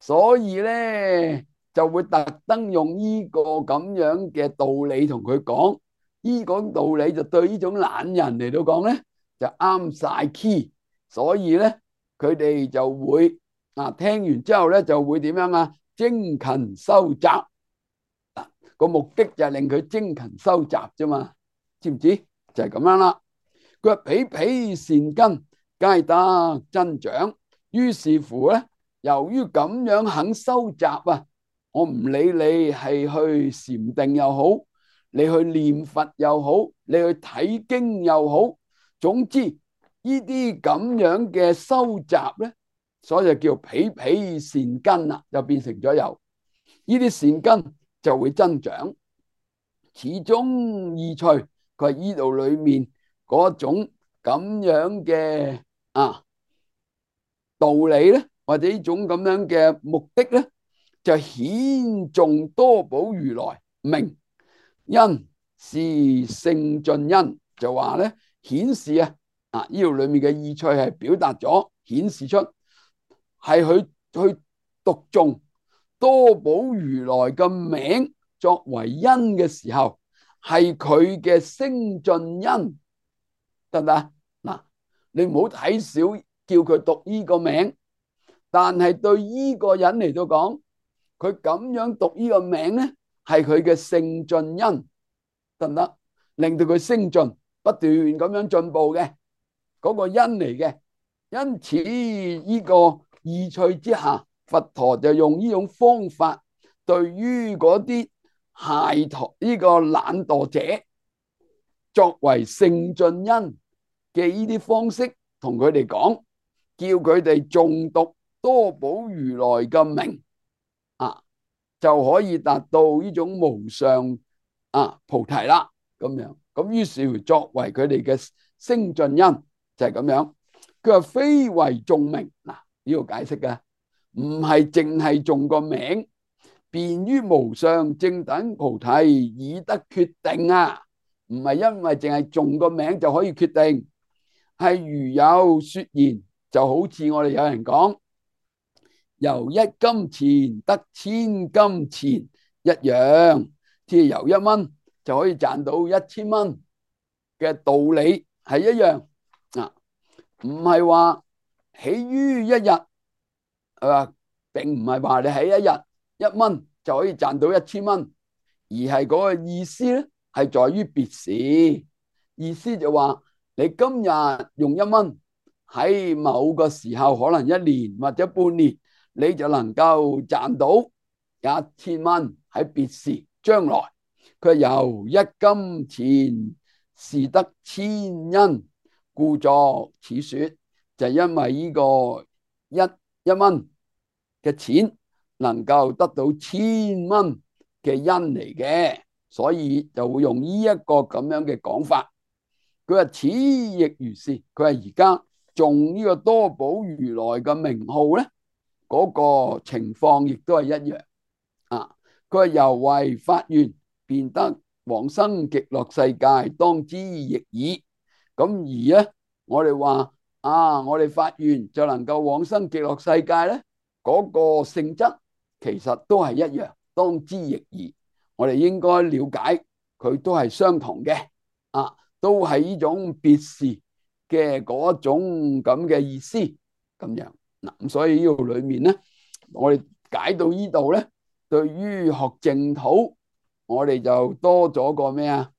所以咧就會特登用呢個咁樣嘅道理同佢講。呢個道理就對呢種懶人嚟到講咧就啱晒 key，所以咧佢哋就會啊聽完之後咧就會點樣啊？精勤修習。個目的就係令佢精勤修習啫嘛，知唔知？就係咁樣啦。佢話彼彼善根皆得增長，於是乎咧，由於咁樣肯修習啊，我唔理你係去禪定又好，你去念佛又好，你去睇經又好，總之呢啲咁樣嘅修習咧，所以就叫彼彼善根啦，就變成咗有呢啲善根就會增長。始終意趣，佢係呢度裏面嗰種咁樣嘅啊道理咧，或者呢種咁樣嘅目的咧，就顯頌多寶如來名因是勝進因，就話咧顯示啊啊呢度裏面嘅意趣係表達咗顯示出係佢去讀誦多寶如來嘅名作為因嘅時候，係佢嘅勝進因，得唔得？嗱，你唔好睇小叫佢讀呢個名，但係對呢個人嚟到講，佢咁樣讀呢個名咧，係佢嘅勝進因，得唔得？令到佢升進，不斷咁樣進步嘅嗰個因嚟嘅。因此呢個意趣之下，佛陀就用呢種方法，對於嗰啲懈怠呢個懶惰者，作為勝進因嘅呢啲方式，同佢哋講，叫佢哋誦讀多寶如來嘅名啊，就可以達到呢種無上啊菩提啦。咁樣咁，於是作為佢哋嘅勝進因就係咁樣。佢話非為誦名嗱，呢個解釋嘅唔係淨係誦個名，便於無上正等菩提已得決定啊！唔係因為淨係誦個名就可以決定，係如有說言，就好似我哋有人講，由一金錢得千金錢一樣，即係由一蚊就可以賺到一千蚊嘅道理係一樣啊！唔係話起於一日，係嘛？並唔係話你起一日一蚊就可以賺到一千蚊，而係嗰個意思咧，係在於別時。意思就話你今日用一蚊，喺某個時候可能一年或者半年，你就能夠賺到一千蚊。喺別時將來，佢由一金錢是得千因，故作此說，就係因為呢個一一蚊嘅錢能夠得到千蚊嘅因嚟嘅，所以就會用呢一個咁樣嘅講法。佢話此亦如是，佢話而家誦呢個多寶如來嘅名號咧，嗰個情況亦都係一樣啊。佢話由為發願，便得往生極樂世界，當知亦爾。咁而咧，我哋話啊，我哋發願就能夠往生極樂世界咧，嗰個性質其實都係一樣，當知亦宜。我哋應該了解佢都係相同嘅，啊，都係呢種別事嘅嗰種咁嘅意思咁樣嗱。咁所以呢度裏面咧，我哋解到呢度咧，對於學淨土，我哋就多咗個咩啊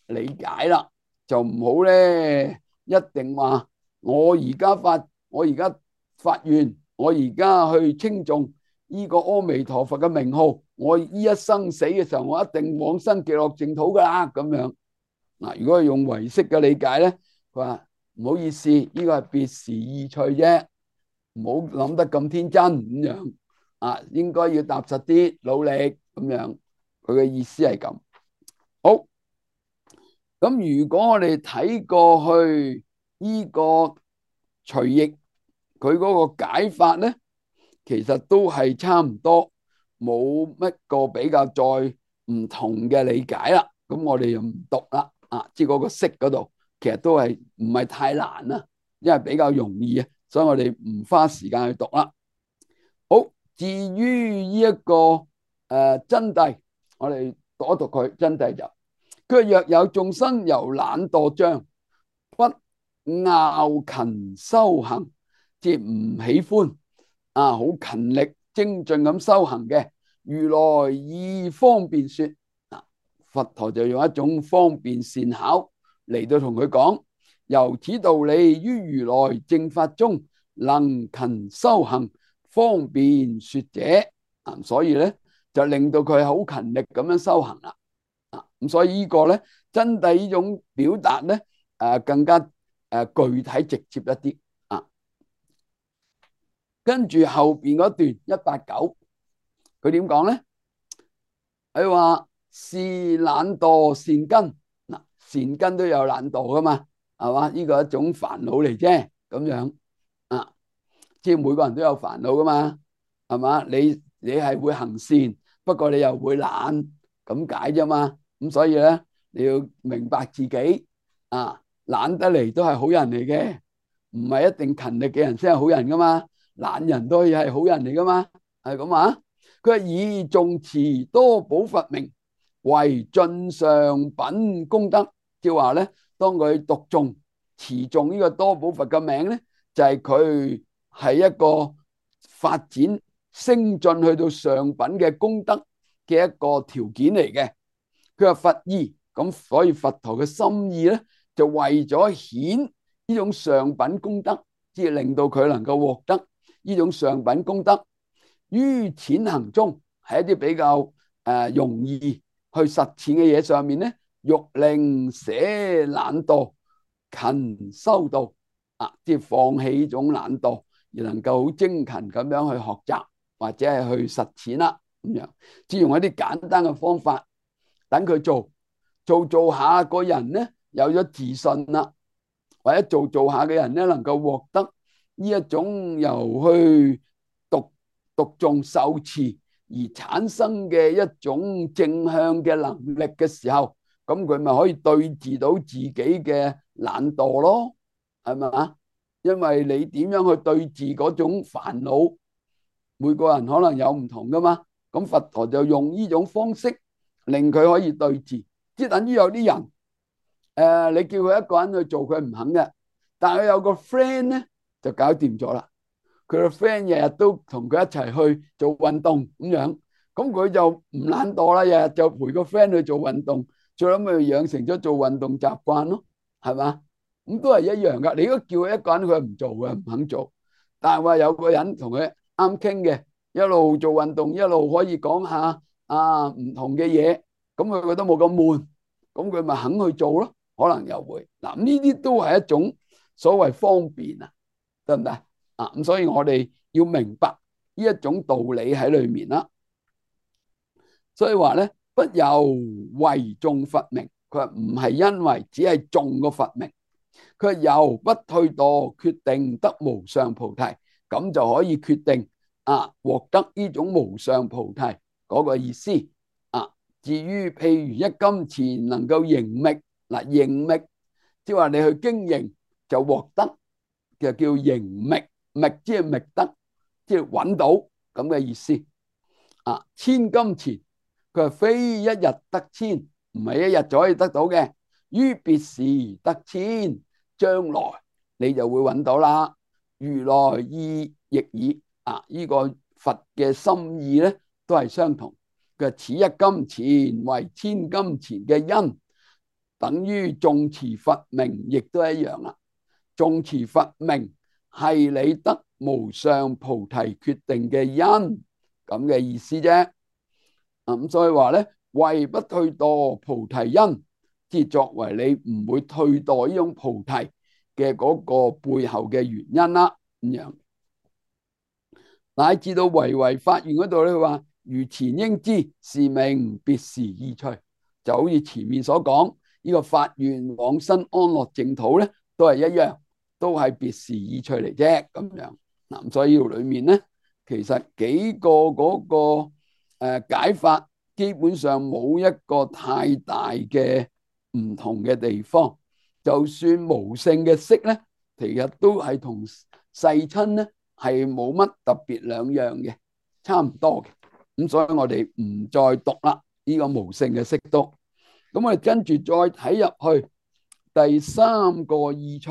理解啦，就唔好咧一定話我而家發我而家發願，我而家去稱頌呢個阿彌陀佛嘅名號，我呢一生死嘅時候，我一定往生極樂淨土噶啦咁樣嗱。如果係用唯識嘅理解咧，佢話唔好意思，呢個係別時意趣啫，唔好諗得咁天真咁樣啊，應該要踏實啲，努力咁樣。佢嘅意思係咁。好，咁如果我哋睇過去呢個隨譯佢嗰個解法咧，其實都係差唔多，冇乜個比較再唔同嘅理解啦。咁我哋就唔讀啦，啊，即係嗰個識嗰度，其實都係唔係太難啦，因為比較容易啊，所以我哋唔花時間去讀啦。好，至於呢一個誒、呃、真諦，我哋讀一讀佢真諦就，佢若有眾生由懶惰障，不拗勤修行，即係唔喜歡啊，好勤力精進咁修行嘅，如來以方便說，啊，佛陀就用一種方便善巧嚟到同佢講，由此道理於如來正法中，能勤修行，方便說者，啊，所以咧就令到佢好勤力咁樣修行啦，啊，咁所以呢個咧真諦呢種表達咧，誒更加誒具體直接一啲啊。跟住後邊嗰段一八九，佢點講咧？佢話是懶惰善根，嗱，善根都有懶惰噶嘛，係嘛？呢個係一種煩惱嚟啫，咁樣啊，即係每個人都有煩惱噶嘛，係嘛？你你係會行善，不過你又會懶，咁解啫嘛。咁所以咧，你要明白自己啊，懶得嚟都係好人嚟嘅，唔係一定勤力嘅人先係好人噶嘛，懶人都可以係好人嚟噶嘛，係咁啊。佢係以誦持多寶佛名為盡上品功德，即係話咧，當佢讀誦持誦呢個多寶佛嘅名咧，就係佢係一個發展升進去到上品嘅功德嘅一個條件嚟嘅。佢話佛意，咁所以佛陀嘅心意咧，就為咗顯呢種上品功德，即係令到佢能夠獲得呢種上品功德。於淺行中，係一啲比較誒、呃、容易去實踐嘅嘢上面咧，欲令捨懶惰，勤修道啊，即係放棄呢種懶惰，而能夠好精勤咁樣去學習或者係去實踐啦，咁樣即係用一啲簡單嘅方法，等佢做做做下個人咧有咗自信啦，或者做做下嘅人咧能夠獲得呢一種由去讀讀誦受持而產生嘅一種正向嘅能力嘅時候，咁佢咪可以對治到自己嘅懶惰咯，係咪啊？因為你點樣去對治嗰種煩惱，每個人可能有唔同噶嘛，咁佛陀就用呢種方式令佢可以對治，即係等於有啲人誒、呃，你叫佢一個人去做，佢唔肯嘅，但係佢有個 friend 咧就搞掂咗啦。佢個 friend 日日都同佢一齊去做運動咁樣，咁佢就唔懶惰啦，日日就陪個 friend 去做運動，最後咪養成咗做運動習慣咯，係嘛？咁都係一樣噶。你如果叫佢一個人，佢唔做嘅，唔肯做。但係話有個人同佢啱傾嘅，一路做運動，一路可以講下啊唔同嘅嘢，咁佢覺得冇咁悶，咁佢咪肯去做咯。可能又會嗱，呢啲都係一種所謂方便啊，得唔得啊？咁所以我哋要明白呢一種道理喺裏面啦。所以話咧，不由為誦佛名，佢話唔係因為只係誦個佛名，佢由不退墮，決定得無上菩提，咁就可以決定啊獲得呢種無上菩提嗰個意思啊。至於譬如一金錢能夠盈覓，嗱盈覓，即係話你去經營就獲得，就叫盈覓，覓即係覓得，即係揾到咁嘅意思啊。千金錢佢話非一日得千，唔係一日就可以得到嘅，於別時得千，將來你就會揾到啦。如來意亦爾啊，呢、這個佛嘅心意咧都係相同。佢話此一金錢為千金錢嘅因，等於誦持佛名，亦都一樣啦。誦持佛名係你得無上菩提決定嘅因，咁嘅意思啫。咁所以話咧，為不退墮菩提因，即係作為你唔會退墮呢種菩提嘅嗰個背後嘅原因啦。咁樣乃至到唯唯發願嗰度咧，佢話如前應知，是名別時意趣，就好似前面所講呢個發願往生安樂淨土咧，都係一樣，都係別時意趣嚟啫。咁樣嗱，所以呢度裏面咧，其實幾個嗰個誒解法，基本上冇一個太大嘅唔同嘅地方。就算無性嘅色咧，其實都係同世親咧係冇乜特別兩樣嘅，差唔多嘅。咁所以我哋唔再讀啦，呢個無性嘅色都。咁我哋跟住再睇入去第三個意趣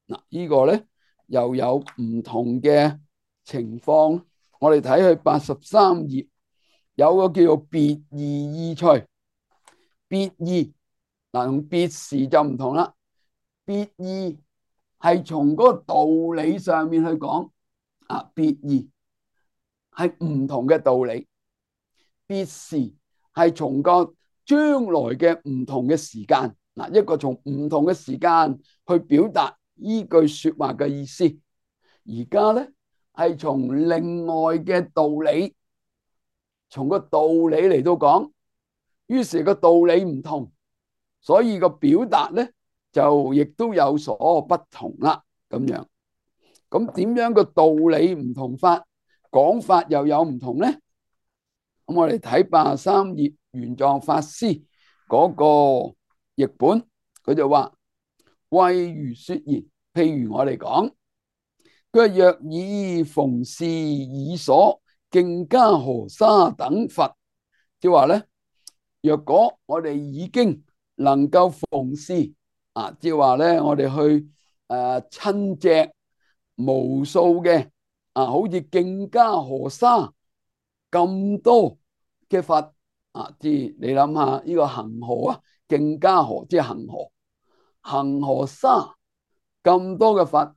嗱，呢個咧又有唔同嘅情況。我哋睇去八十三頁，有個叫做別義意趣。別義嗱，同別時就唔同啦。別義係從嗰個道理上面去講啊，別義係唔同嘅道理。別時係從個將來嘅唔同嘅時間嗱，一個從唔同嘅時間去表達呢句說話嘅意思。而家咧係從另外嘅道理，從個道理嚟到講，於是個道理唔同，所以個表達咧就亦都有所不同啦。咁樣，咁點樣個道理唔同法，講法又有唔同咧？咁我哋睇八十三頁玄奘法師嗰個譯本，佢就話：謂如說言，譬如我哋講，佢話若以逢事已所徑伽河沙等佛，即係話咧，若果我哋已經能夠逢事啊，即係話咧，我哋去誒親隻無數嘅啊，好似徑伽河沙咁多嘅佛啊，即係你諗下呢個恒河啊，徑伽河即係恒河，恒河沙咁多嘅佛，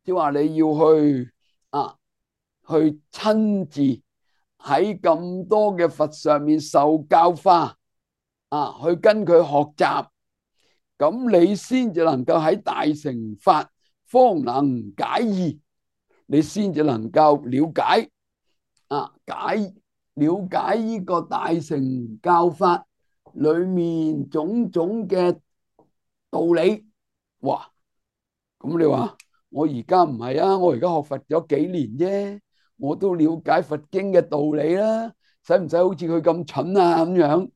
即係話你要去啊，去親自喺咁多嘅佛上面受教化啊，去跟佢學習，咁你先至能夠喺大乘法方能解義，你先至能夠了解啊解。了解呢個大乘教法裏面種種嘅道理。哇！咁你話我而家唔係啊，我而家學佛咗幾年啫，我都了解佛經嘅道理啦，使唔使好似佢咁蠢啊咁樣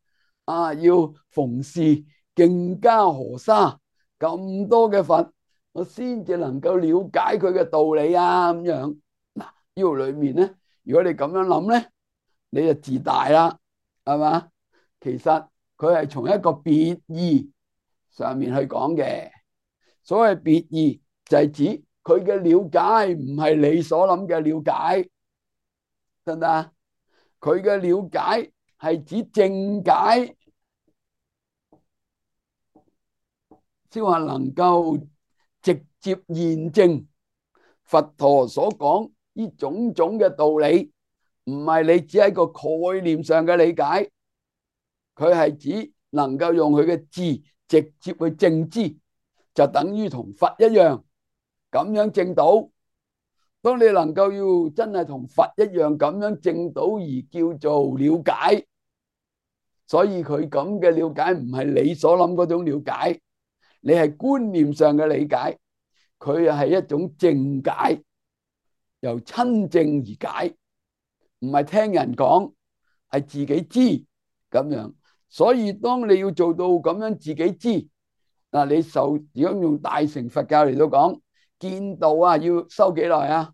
啊？要逢事徑伽河沙咁多嘅佛，我先至能夠了解佢嘅道理啊咁樣。嗱，呢度裏面咧，如果你咁樣諗咧，你就自大啦，係嘛？其實佢係從一個別義上面去講嘅。所謂別義就係指佢嘅了解唔係你所諗嘅了解，得唔得啊？佢嘅了解係指正解，即係話能夠直接驗證佛陀所講呢種種嘅道理。唔係你只係一個概念上嘅理解，佢係指能夠用佢嘅字直接去證知，就等於同佛一樣咁樣證到。當你能夠要真係同佛一樣咁樣證到而叫做了解，所以佢咁嘅了解唔係你所諗嗰種了解，你係觀念上嘅理解，佢係一種正解，由親證而解。唔係聽人講，係自己知咁樣。所以當你要做到咁樣自己知，嗱，你受如果用大乘佛教嚟到講，見道啊要修幾耐啊？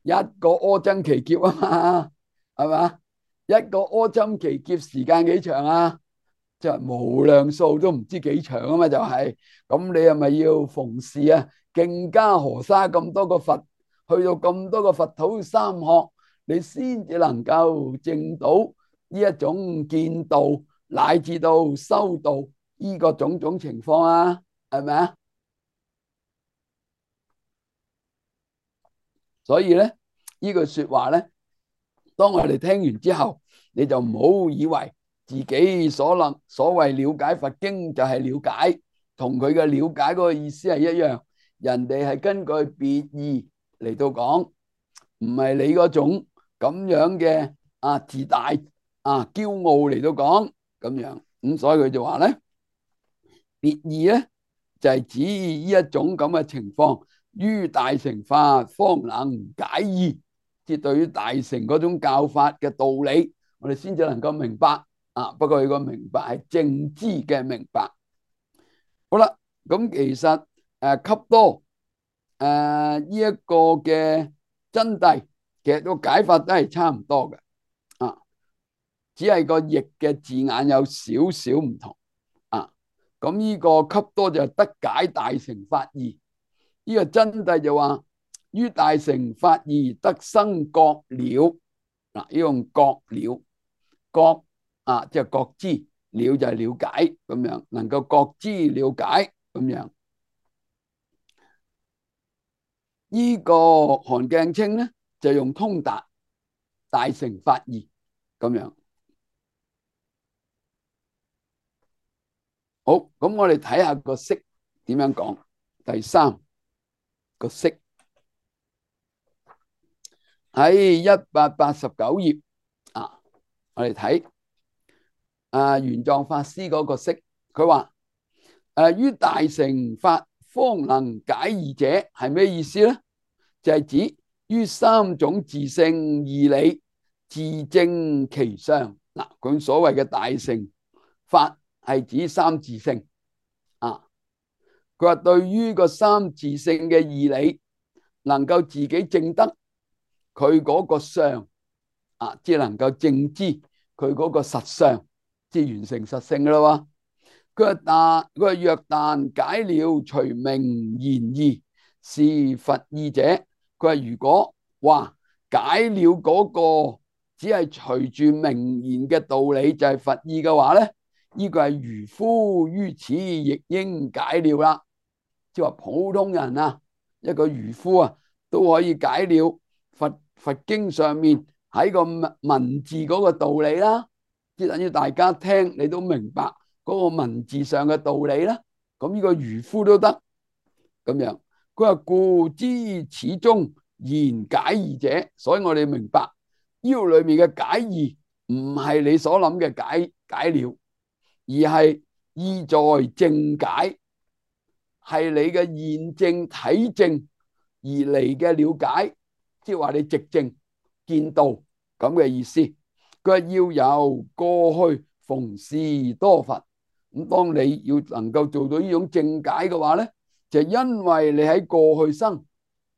一個阿僧祇劫啊嘛，係嘛？一個柯針奇劫時間幾長啊？就係無量數都唔知幾長啊嘛，就係咁。你係咪要逢時啊，徑加河沙咁多個佛，去到咁多個佛土三學，你先至能夠證到呢一種見道，乃至到修道呢個種種情況啊？係咪啊？所以咧，呢句說話咧，當我哋聽完之後，你就唔好以為自己所能所謂了解佛經就係了解，同佢嘅了解嗰個意思係一樣。人哋係根據別義嚟到講，唔係你嗰種咁樣嘅啊自大啊驕傲嚟到講咁樣。咁所以佢就話咧，別義咧就係指呢一種咁嘅情況，於大乘法方能解義。即係對於大乘嗰種教法嘅道理，我哋先至能夠明白啊。不過佢個明白係正知嘅明白。好啦，咁其實誒笈多誒呢一個嘅真諦，其實個解法都係差唔多嘅啊，只係個譯嘅字眼有少少唔同啊。咁呢個笈多就得解大乘法義，呢個真諦就話於大乘法義得生覺了。嗱，呢用覺了，覺啊，即係覺知，了就係了解咁樣，能夠覺知了解咁樣。呢個韓鏡清咧就用通達大乘法義咁樣。好，咁我哋睇下個釋點樣講。第三個釋喺一百八十九頁啊，我哋睇啊玄奘法師嗰個釋，佢話誒於大乘法方能解義者係咩意思咧？就係指於三種自性義理自證其相。嗱，佢所謂嘅大乘法係指三自性啊。佢話對於個三自性嘅義理，能夠自己證得佢嗰個相啊，即係能夠證知佢嗰個實相，即係完成實性噶啦。佢話但佢話若但解了隨名言義是佛義者，佢話如果話解了嗰個只係隨住名言嘅道理就係佛義嘅話咧，呢個係愚夫於此亦應解了啦。即係話普通人啊，一個愚夫啊，都可以解了佛佛經上面喺個文字嗰個道理啦。即係等於大家聽你都明白嗰個文字上嘅道理啦。咁呢個愚夫都得咁樣。佢話故知此中言解義者，所以我哋明白呢度裏面嘅解義唔係你所諗嘅解解了，而係意在證解，係你嘅現證體證而嚟嘅了解，即係話你直證見到咁嘅意思。佢話要由過去逢事多佛，咁當你要能夠做到呢種證解嘅話咧，就因為你喺過去生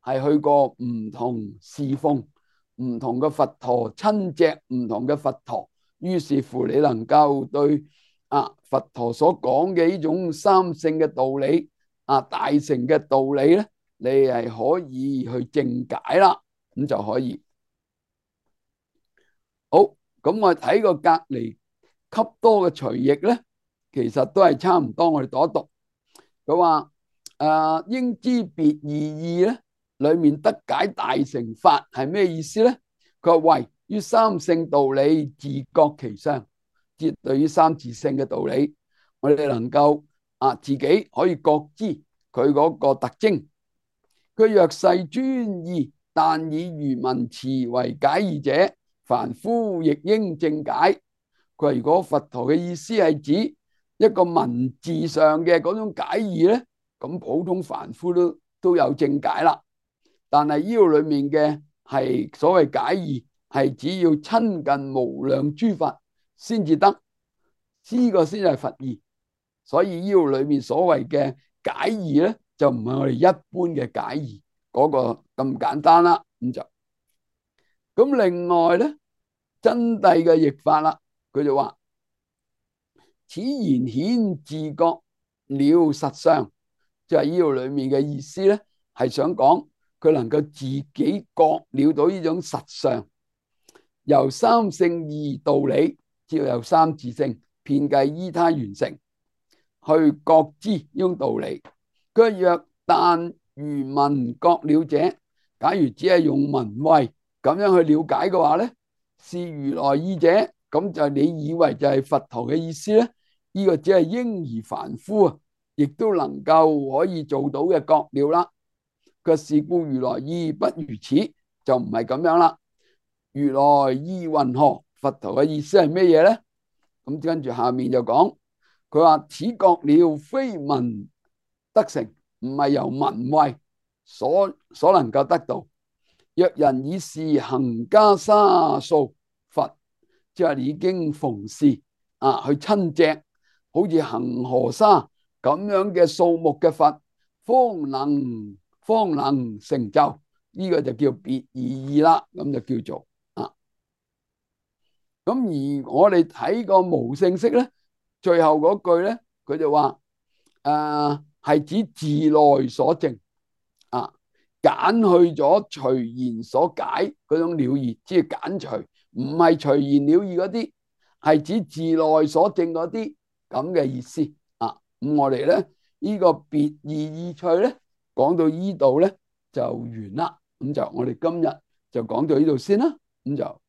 係去過唔同侍奉唔同嘅佛陀，親隻唔同嘅佛陀，於是乎你能夠對啊佛陀所講嘅呢種三性嘅道理啊大乘嘅道理咧，你係可以去證解啦，咁就可以。好，咁我睇個隔離笈多嘅隨譯咧，其實都係差唔多。我哋讀一讀，佢話誒應知別義義咧，裏面得解大乘法係咩意思咧？佢話為於三性道理自覺其相，即對於三自性嘅道理，我哋能夠啊自己可以覺知佢嗰個特徵。佢若世專義，但以餘文詞為解義者，凡夫亦應證解。佢話如果佛陀嘅意思係指一個文字上嘅嗰種解義咧，咁普通凡夫都都有證解啦。但係呢度裏面嘅係所謂解義，係只要親近無量諸佛先至得，呢個先係佛義。所以呢度裏面所謂嘅解義咧，就唔係我哋一般嘅解義嗰個咁簡單啦。咁就咁另外咧，真諦嘅譯法啦，佢就話：此言顯自覺了實相，就係呢度裏面嘅意思咧，係想講佢能夠自己覺了到呢種實相，由三性二道理，即係由三自性遍計依他緣成去覺知呢種道理。佢若但如聞覺了者，假如只係用聞慧咁樣去了解嘅話咧，是如來意者，咁就你以為就係佛陀嘅意思咧？呢、這個只係嬰兒凡夫啊，亦都能夠可以做到嘅覺了啦。佢是故如來意不如此，就唔係咁樣啦。如來意云何？佛陀嘅意思係咩嘢咧？咁跟住下面就講，佢話此覺了非聞得成，唔係由聞慧所所能夠得到。若人以是恒袈裟數佛，即係已經逢事啊去親隻，好似恒河沙咁樣嘅數目嘅佛，方能方能成就。呢、這個就叫別而意啦，咁就叫做啊。咁而我哋睇個無性釋咧，最後嗰句咧，佢就話誒係指自內所證啊，揀去咗隨言所解嗰種了義，即係揀除，唔係隨言了義嗰啲，係指自內所證嗰啲咁嘅意思啊。咁我哋咧呢個別義意趣咧，講到呢度咧就完啦。咁就我哋今日就講到呢度先啦。咁就。